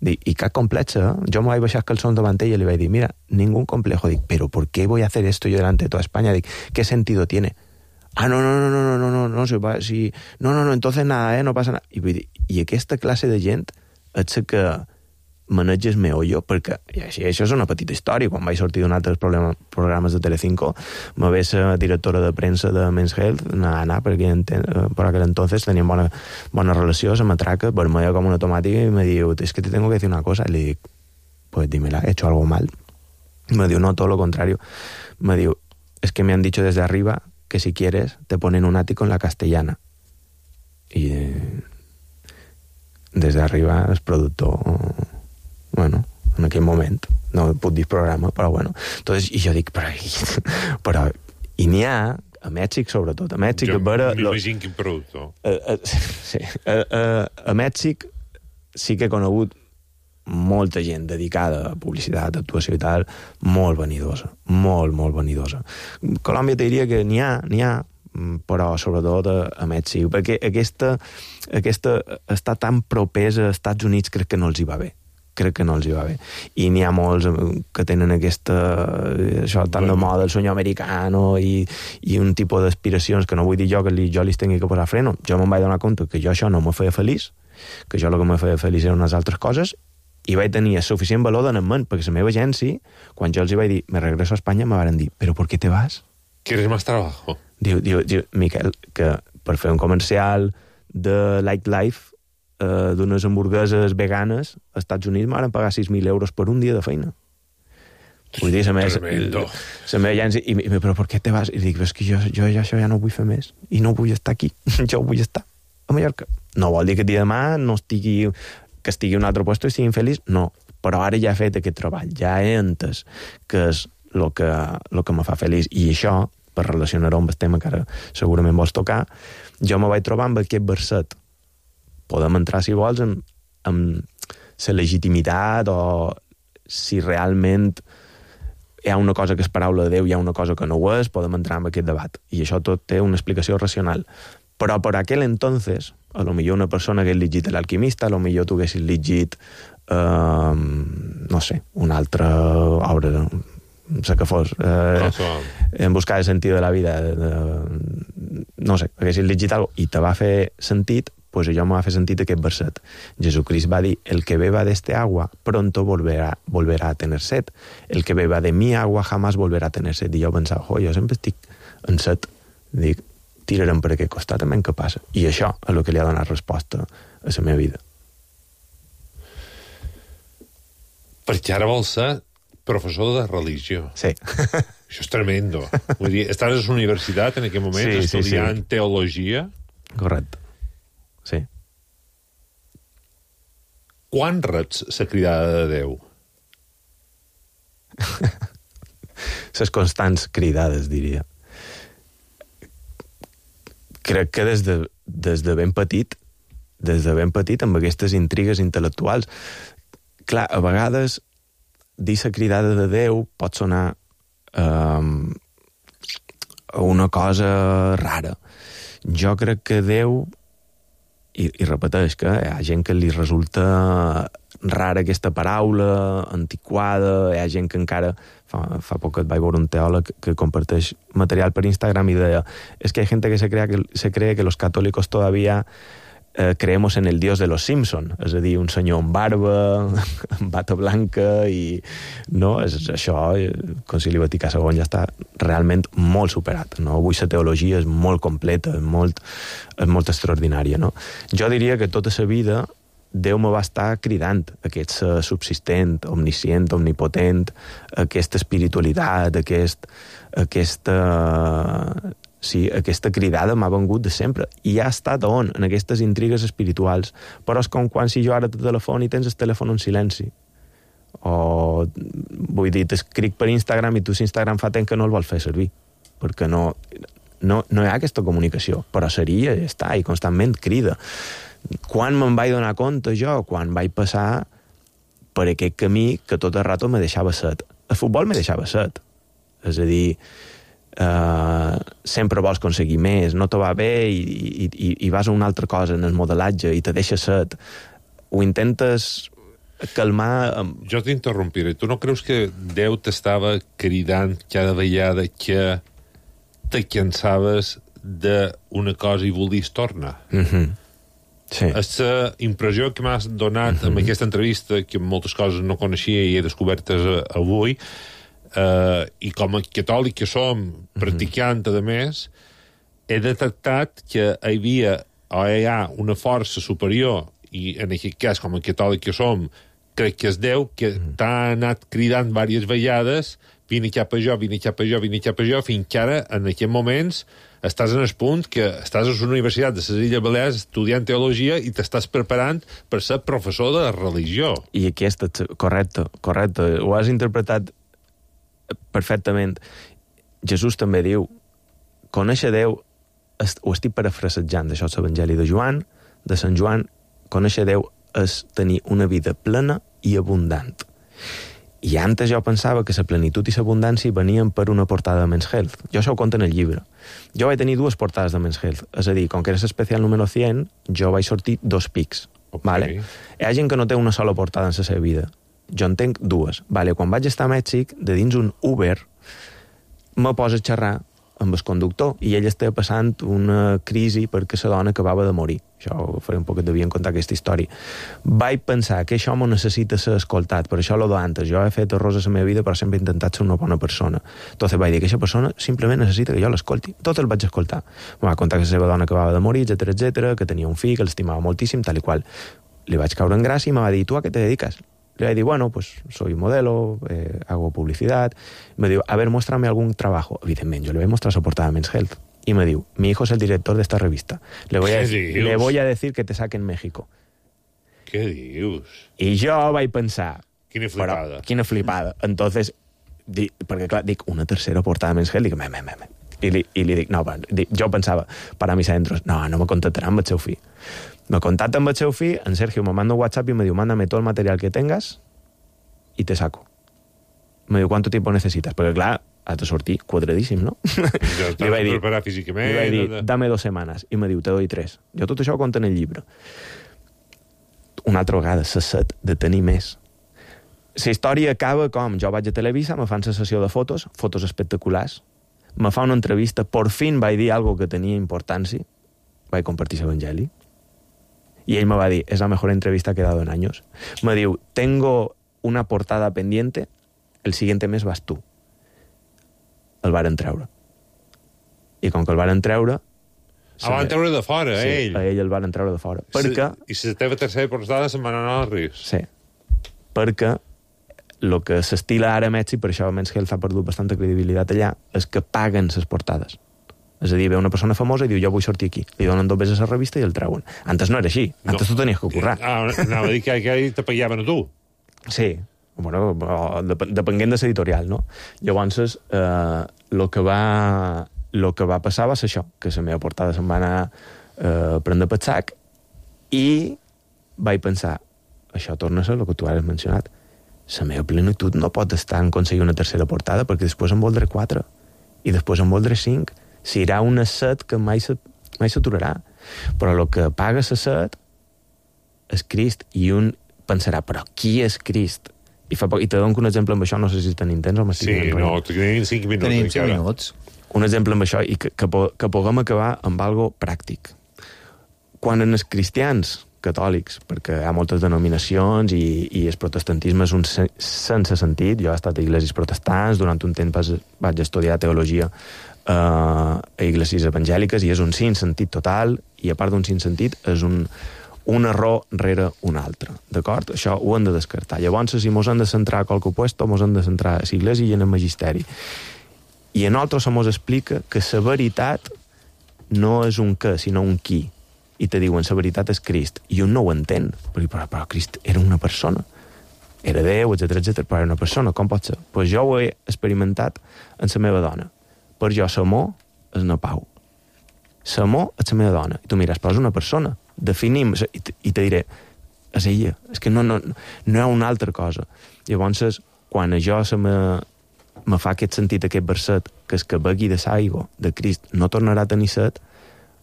I cap complexa, eh? Jo me vaig baixar els calçons davant ella i li vaig dir, mira, ningún complejo. Dic, pero ¿por qué voy a hacer esto yo delante de toda España? Dic, ¿qué sentido tiene? Ah, no, no, no, no, no, no, no, no, si va, si... no, no, no, entonces nada, eh, no pasa nada. I vull dir, i aquesta classe de gent és la que maneges meollo, perquè i així, això és una petita història. Quan vaig sortir d'un altre programes de Telecinco, me ve la directora de premsa de Men's Health, anar, perquè per aquell entonces teníem bona, bona relació, se m'atraca, vermella com una tomàtica, i me diu, es que te tengo que decir una cosa. I li dic, pues dímela, he hecho algo mal. Me diu, no, todo lo contrario. Me diu, es que me han dicho desde arriba que si quieres te ponen un ático en la Castellana. I eh, desde arriba el productor... Bueno, en aquell moment, no puc dir programa, però bueno. Entonces, i jo dic, però, però I n'hi ha, a Mèxic sobretot, a Mèxic... Jo vera, m'imagino quin productor. A, a, sí, a, a, a Mèxic sí que he conegut molta gent dedicada a publicitat, actuació i tal, molt vanidosa, molt, molt vanidosa. Colòmbia te diria que n'hi ha, n'hi ha, però sobretot a, a Mèxic, perquè aquesta, aquesta està tan propesa als Estats Units, crec que no els hi va bé. Crec que no els hi va bé. I n'hi ha molts que tenen aquesta... això tan de moda, el sueño americano i, i un tipus d'aspiracions que no vull dir jo que li, jo li tingui que posar freno. Jo me'n vaig donar compte que jo això no me feia feliç, que jo el que me feia feliç eren unes altres coses, i vaig tenir suficient valor en ment, perquè la meva agència, quan jo els hi vaig dir me regreso a Espanya, me van dir, però ¿por qué te vas? ¿Quieres más trabajo? Diu, diu, diu, Miquel, que per fer un comercial de Like Life eh, d'unes hamburgueses veganes als Estats Units m'han pagar sis mil euros per un dia de feina. Vull dir, la meva, Tremendo. la meva agència, i, i, però per què te vas? I dic, és que jo, jo ja, això ja no vull fer més, i no vull estar aquí, jo vull estar a Mallorca. No vol dir que el dia de demà no estigui, que estigui a un altre lloc i estigui infeliç, no, però ara ja he fet aquest treball, ja he entès que és el que, el que me fa feliç, i això, per relacionar-ho amb el tema que ara segurament vols tocar, jo me vaig trobar amb aquest verset. Podem entrar, si vols, en, en la legitimitat o si realment hi ha una cosa que és paraula de Déu, hi ha una cosa que no ho és, podem entrar en aquest debat. I això tot té una explicació racional. Però per aquell entonces, a lo millor una persona que hagués llegit l'Alquimista, a lo millor tu haguessis llegit, eh, no sé, una altra obra, no sé què fos, eh, En buscar el sentit de la vida, eh, no sé, haguessis llegit alguna cosa i te va fer sentit, pues allò me va fer sentit aquest verset. Jesucrist va dir, el que beba de este agua pronto volverá, volverá a tener sed. El que beba de mi agua jamás volverá a tener sed. I jo pensava, jo sempre estic en set. Dic, tirarem per aquest costat, també què passa? I això és el que li ha donat resposta a la meva vida. Perquè ara vols ser professor de religió. Sí. Això és tremendo. Vull dir, estàs a la universitat en aquest moment, sí, estudiant sí, sí. teologia. Correcte. Sí. Quan reps la cridada de Déu? Les constants cridades, diria. Crec que des de, des de ben petit, des de ben petit, amb aquestes intrigues intel·lectuals, clar, a vegades dir la cridada de Déu pot sonar um, una cosa rara. Jo crec que Déu, i, i repeteix que hi ha gent que li resulta rara aquesta paraula, antiquada, hi ha gent que encara... Fa, fa poc et vaig veure un teòleg que comparteix material per Instagram i deia es que hay gente que se, crea que se cree que los católicos todavía eh, creemos en el dios de los Simpson, és a dir, un senyor amb barba, amb bata blanca i no, és, això el Concili Vaticà segon ja està realment molt superat, no? Avui la teologia és molt completa, és molt, és molt extraordinària, no? Jo diria que tota la vida Déu me va estar cridant, aquest ser subsistent, omniscient, omnipotent, aquesta espiritualitat, aquest, aquesta, sí, aquesta cridada m'ha vengut de sempre. I ha estat on? En aquestes intrigues espirituals. Però és com quan si jo ara te telefon i tens el telèfon en silenci. O, vull dir, t'escric per Instagram i tu Instagram fa temps que no el vols fer servir. Perquè no, no, no hi ha aquesta comunicació. Però seria, ja està, i constantment crida. Quan me'n vaig donar compte jo? Quan vaig passar per aquest camí que tot el rato me deixava set. El futbol me deixava set. És a dir, eh, sempre vols aconseguir més, no te va bé i, i, i, i vas a una altra cosa en el modelatge i te deixa set. Ho intentes calmar... Jo t'interrompiré. Tu no creus que Déu t'estava cridant cada vegada que te cansaves d'una cosa i volies tornar? Mhm. Sí. És la impressió que m'has donat mm-hmm. amb aquesta entrevista, que moltes coses no coneixia i he descobertes avui, eh, i com a catòlic que som, practicant, mm-hmm. a més, he detectat que hi havia o hi ha una força superior, i en aquest cas, com a catòlic que som, crec que és Déu, que mm-hmm. t'ha anat cridant diverses vegades, vine cap a jo, vine cap a jo, vine cap a jo, fins que ara, en aquests moments, estàs en el punt que estàs a la Universitat de les Illes Balears estudiant teologia i t'estàs preparant per ser professor de religió. I aquesta, correcte, correcte, ho has interpretat perfectament. Jesús també diu conèixer Déu, est, ho estic parafrasejant, això és l'Evangeli de Joan, de Sant Joan, conèixer Déu és tenir una vida plena i abundant. I antes jo pensava que la plenitud i l'abundància venien per una portada de Men's Health. Jo això ho conto en el llibre. Jo vaig tenir dues portades de Men's Health. És a dir, com que era l'especial número cent, jo vaig sortir dos pics. Okay. Vale? Hi ha gent que no té una sola portada en la seva vida. Jo en tenc dues. Vale? Quan vaig estar a Mèxic, de dins un Uber, me posa a xerrar amb el conductor i ell estava passant una crisi perquè la dona acabava de morir. Això ho faré un poc que devien contar aquesta història. Vaig pensar que això m'ho necessita ser escoltat, per això lo d'antes. Jo he fet errors a la meva vida, però sempre he intentat ser una bona persona. Entonces vaig dir que aquesta persona simplement necessita que jo l'escolti. Tot el vaig escoltar. Em va contar que la seva dona acabava de morir, etcètera, etcètera, que tenia un fill, que l'estimava moltíssim, tal i qual. Li vaig caure en gràcia i me va dir, tu a què te dediques? Le voy a decir, bueno, pues soy modelo, eh, hago publicidad. Me digo, a ver, muéstrame algún trabajo. Evidentemente, yo le voy a mostrar su portada de Men's Health. Y me digo, mi hijo es el director de esta revista. Le voy, a, le voy a decir que te saque en México. Què dius? I jo vaig pensar... Quina flipada. Però, quina flipada. Entonces, di, perquè clar, dic, una tercera portada de Men's Health, dic, me, me, me, me. I li, i li dic, no, dic, jo pensava, para mis adentros, no, no me contactarà amb el seu fill. Me contacta amb el seu fill, en Sergio me manda un WhatsApp y me diu, mándame todo el material que tengas y te saco. Me diu, ¿cuánto tiempo necesitas? Perquè, clar, has de sortir quadradíssim, no? Ja t'has de preparar físicament. Li vaig dir, dame dos setmanes. I me diu, te doy tres. Jo tot això ho conto en el llibre. Una altra vegada, la set de tenir més. La història acaba com, jo vaig a Televisa, me fan la sessió de fotos, fotos espectaculars, me fa una entrevista, por fin vaig dir algo que tenia importància, vaig compartir l'Evangeli, y él me va a decir, es la mejor entrevista que he dado en años. Me diu, tengo una portada pendiente, el siguiente mes vas tu. El varen treure. I com que el varen treure... Ah, van treure de fora, sí, ell. a ell el varen treure de fora. Perquè... I la teva tercera portada se'n van anar als rius. Sí. Perquè el que s'estila ara a Mèxic, per això Men's Health ha perdut bastanta credibilitat allà, és que paguen les portades. És a dir, ve una persona famosa i diu, jo vull sortir aquí. Li donen dos beses a la revista i el treuen. Antes no era així. Antes no. Tu tenies que currar. Ah, anava a dir que aquell te pagaven a tu. Sí. Bueno, depenent de l'editorial, no? Llavors, eh, lo que va... el que va passar va ser això, que la meva portada se'n va anar eh, prendre pel sac i vaig pensar, això torna a ser el que tu has mencionat, la meva plenitud no pot estar en aconseguir una tercera portada perquè després en voldré quatre i després en voldré cinc. Serà una set que mai s'aturarà. Però el que paga la set és Crist i un pensarà, però qui és Crist? I, fa poc, i te dono un exemple amb això, no sé si tenim temps o m'estic sí, no, tenim cinc minuts. Tenim cinc minuts. Un exemple amb això, i que, que, que puguem acabar amb algo pràctic. Quan en els cristians catòlics, perquè hi ha moltes denominacions i, i el protestantisme és un sense sentit, jo he estat a iglesias protestants, durant un temps vaig estudiar teologia eh, a iglesias evangèliques i és un sentit total, i a part d'un sentit és un, un error rere un altre, d'acord? Això ho hem de descartar. Llavors, si mos hem de centrar a qualque opuesto, mos hem de centrar a l'església i en el magisteri. I a nosaltres se mos explica que la veritat no és un què, sinó un qui. I te diuen, la veritat és Crist. I un no ho entén. Però, però, però Crist era una persona. Era Déu, etcètera, etcètera, però era una persona. Com pot ser? Pues jo ho he experimentat en la meva dona. Per jo, l'amor és una pau. L'amor és la meva dona. I tu mires, però és una persona. Definim, i te, i te diré, és ella. És que no, no, no hi ha una altra cosa. Llavors, quan a jo se me... me fa aquest sentit, aquest verset, que és que begui de l'aigua de Crist no tornarà a tenir set,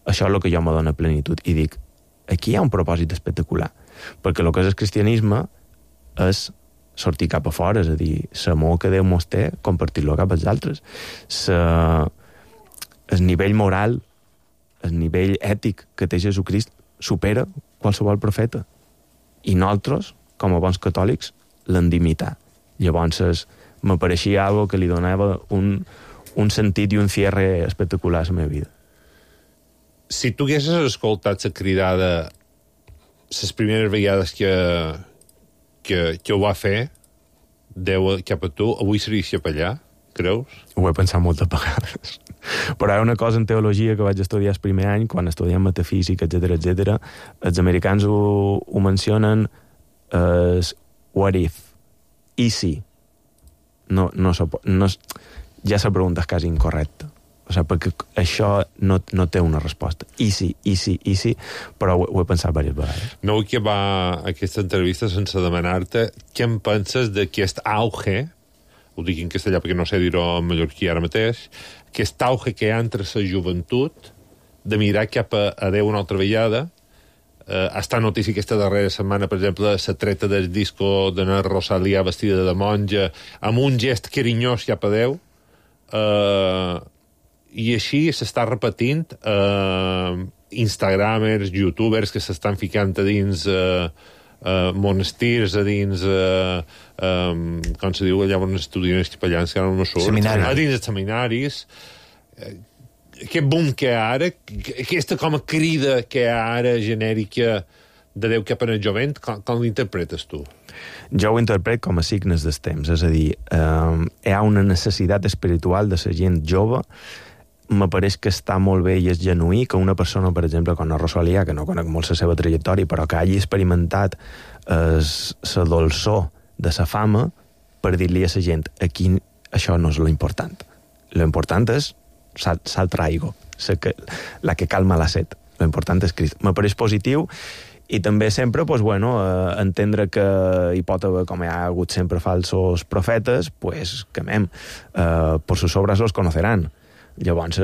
això és el que jo me dona plenitud. I dic, aquí hi ha un propòsit espectacular. Perquè el que és el cristianisme és sortir cap a fora, és a dir, l'amor que Déu mos té, compartir-lo cap als altres. Sa... El nivell moral, el nivell ètic que té Jesucrist supera qualsevol profeta. I nosaltres, com a bons catòlics, l'hem d'imitar. Llavors, m'apareixia algo que li donava un, un sentit i un cierre espectacular a la meva vida. Si tu haguessis escoltat la cridada les primeres vegades que, que, que ho va fer, Déu cap a tu, avui series cap allà, creus? Ho he pensat moltes vegades. Però hi ha una cosa en teologia que vaig estudiar el primer any, quan estudiem metafísica, etcètera, etcètera, els americans ho, ho mencionen es what if, i si. No, no, no, ja la pregunta és quasi incorrecta. O sigui, perquè això no, no té una resposta. I sí, i sí, i sí, però ho, ho he pensat diverses vegades. No vull acabar aquesta entrevista sense demanar-te què en penses d'aquest auge, ho dic en castellà perquè no sé dir-ho en mallorquí ara mateix, aquest auge que hi ha entre la joventut de mirar cap a, a Déu una altra vegada. Eh, està notícia aquesta darrera setmana, per exemple, la treta del disco de la Rosalia vestida de monja, amb un gest carinyós cap a Déu, eh, i així s'està repetint eh, instagramers, youtubers que s'estan ficant a dins eh, eh, monestirs, a dins eh, eh, com se diu allà on estudien els capellans, que ara no surt, seminaris. a dins els seminaris. Eh, aquest boom que hi ha ara, aquesta com a crida que hi ha ara genèrica de Déu cap en el jovent, com, com l'interpretes tu? Jo ho interpret com a signes dels temps, és a dir, eh, hi ha una necessitat espiritual de la gent jove. M'apareix que està molt bé i és genuí que una persona, per exemple, com la Rosalia, que no conec molt la seva trajectòria, però que hagi experimentat la dolçor de la fama per dir-li a la gent aquí això no és lo important. Lo important és sal, sal traigo, que, la que calma la set. Lo important és Crist. M'apareix positiu i també sempre, pues, bueno, eh, entendre que hi pot haver, com hi ha hagut sempre falsos profetes, pues, que mem, eh, por sus obras los conocerán. Llavors,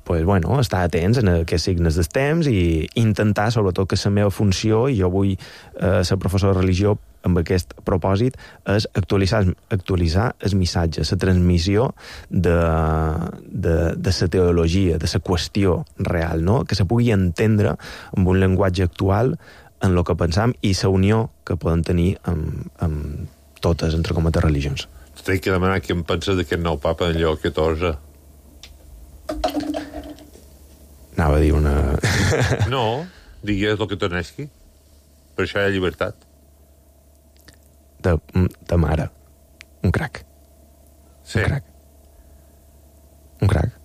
pues, bueno, estar atents en aquests signes dels temps i intentar, sobretot, que la meva funció, i jo vull eh, ser professor de religió amb aquest propòsit, és actualitzar, actualitzar el missatge, la transmissió de, de, de la teologia, de la qüestió real, no? Que se pugui entendre amb un llenguatge actual en el que pensam i la unió que poden tenir amb, amb totes, entre cometes, religions. T'he que demanar què em penses d'aquest nou papa en Lleó catorze. Anava a dir una... No, digues el que t'onesqui. Per això hi ha llibertat. De, de mare. Un crac. Sí. Un crac. Un crac.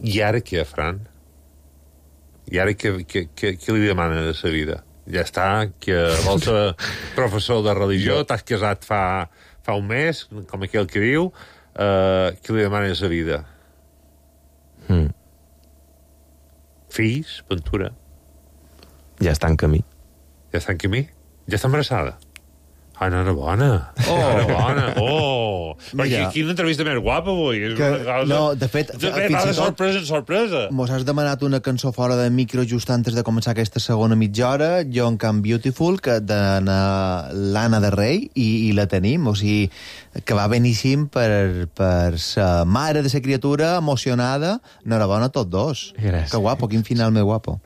I ara què, Fran? I ara què, què, què, què li demana de sa vida? Ja està, que vols ser professor de religió, t'has casat fa, fa un mes, com aquell que diu, uh, què li demana de sa vida? Mm. Fills, Ventura? Ja està en camí. Ja està en camí? Ja està embarassada? Ah, enhorabona. Oh, enhorabona. Oh. Perquè quina entrevista més guapa avui. És Que, una cosa... no, de fet, de, fins va i de tot... sorpresa en sorpresa. Mos has demanat una cançó fora de micro just antes de començar aquesta segona mitja hora, John Can Beautiful, que de l'Anna de Rei, i, i la tenim, o sigui, que va beníssim per, per sa mare de sa criatura emocionada. Enhorabona a tots dos. Gràcies. Que guapo, quin final més guapo.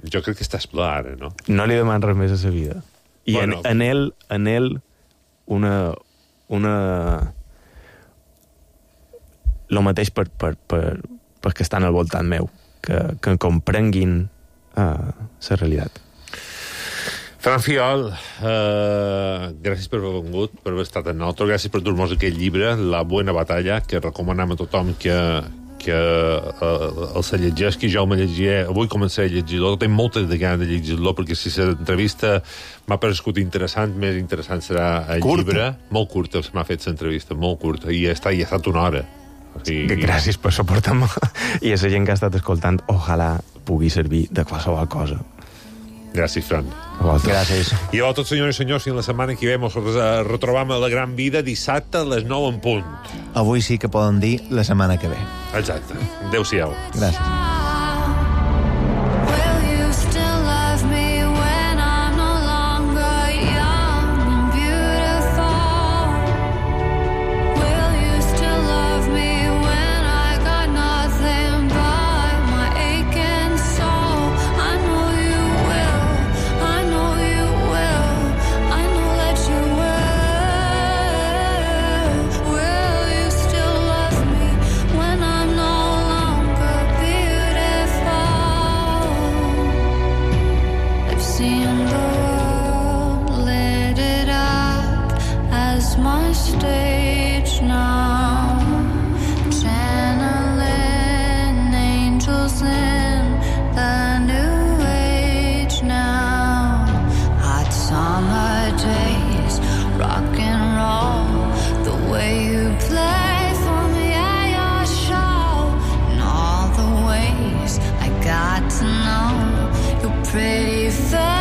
Jo crec que estàs ple ara, no? No li deman res més a sa vida. I bueno. en, en ell, en ell una... una... lo mateix per, per, per, per que estan al voltant meu, que, que comprenguin uh, la realitat. Fran Fiol, uh, gràcies per haver vengut, per haver estat amb nosaltres, gràcies per dur-nos aquest llibre, La Buena Batalla, que recomanem a tothom que, que uh, el se llegeix, que jo me llegiré, avui començaré a llegir-lo, tinc moltes de ganes de llegir-lo, perquè si l'entrevista m'ha paregut interessant, més interessant serà el curta. Llibre. Molt curta, m'ha fet l'entrevista, molt curta, i ja està, ja ha estat una hora. O sigui... Gràcies per suportar-me, i a la gent que ha estat escoltant, ojalà pugui servir de qualsevol cosa. Gràcies, Fran. Gràcies. I a tots, senyors i senyors, fins la setmana que ve ens retrobam a La Gran Vida dissabte a les nou en punt. Avui sí que poden dir la setmana que ve. Exacte. Adéu-siau. Gràcies. Rock and roll, the way you play for me, I thought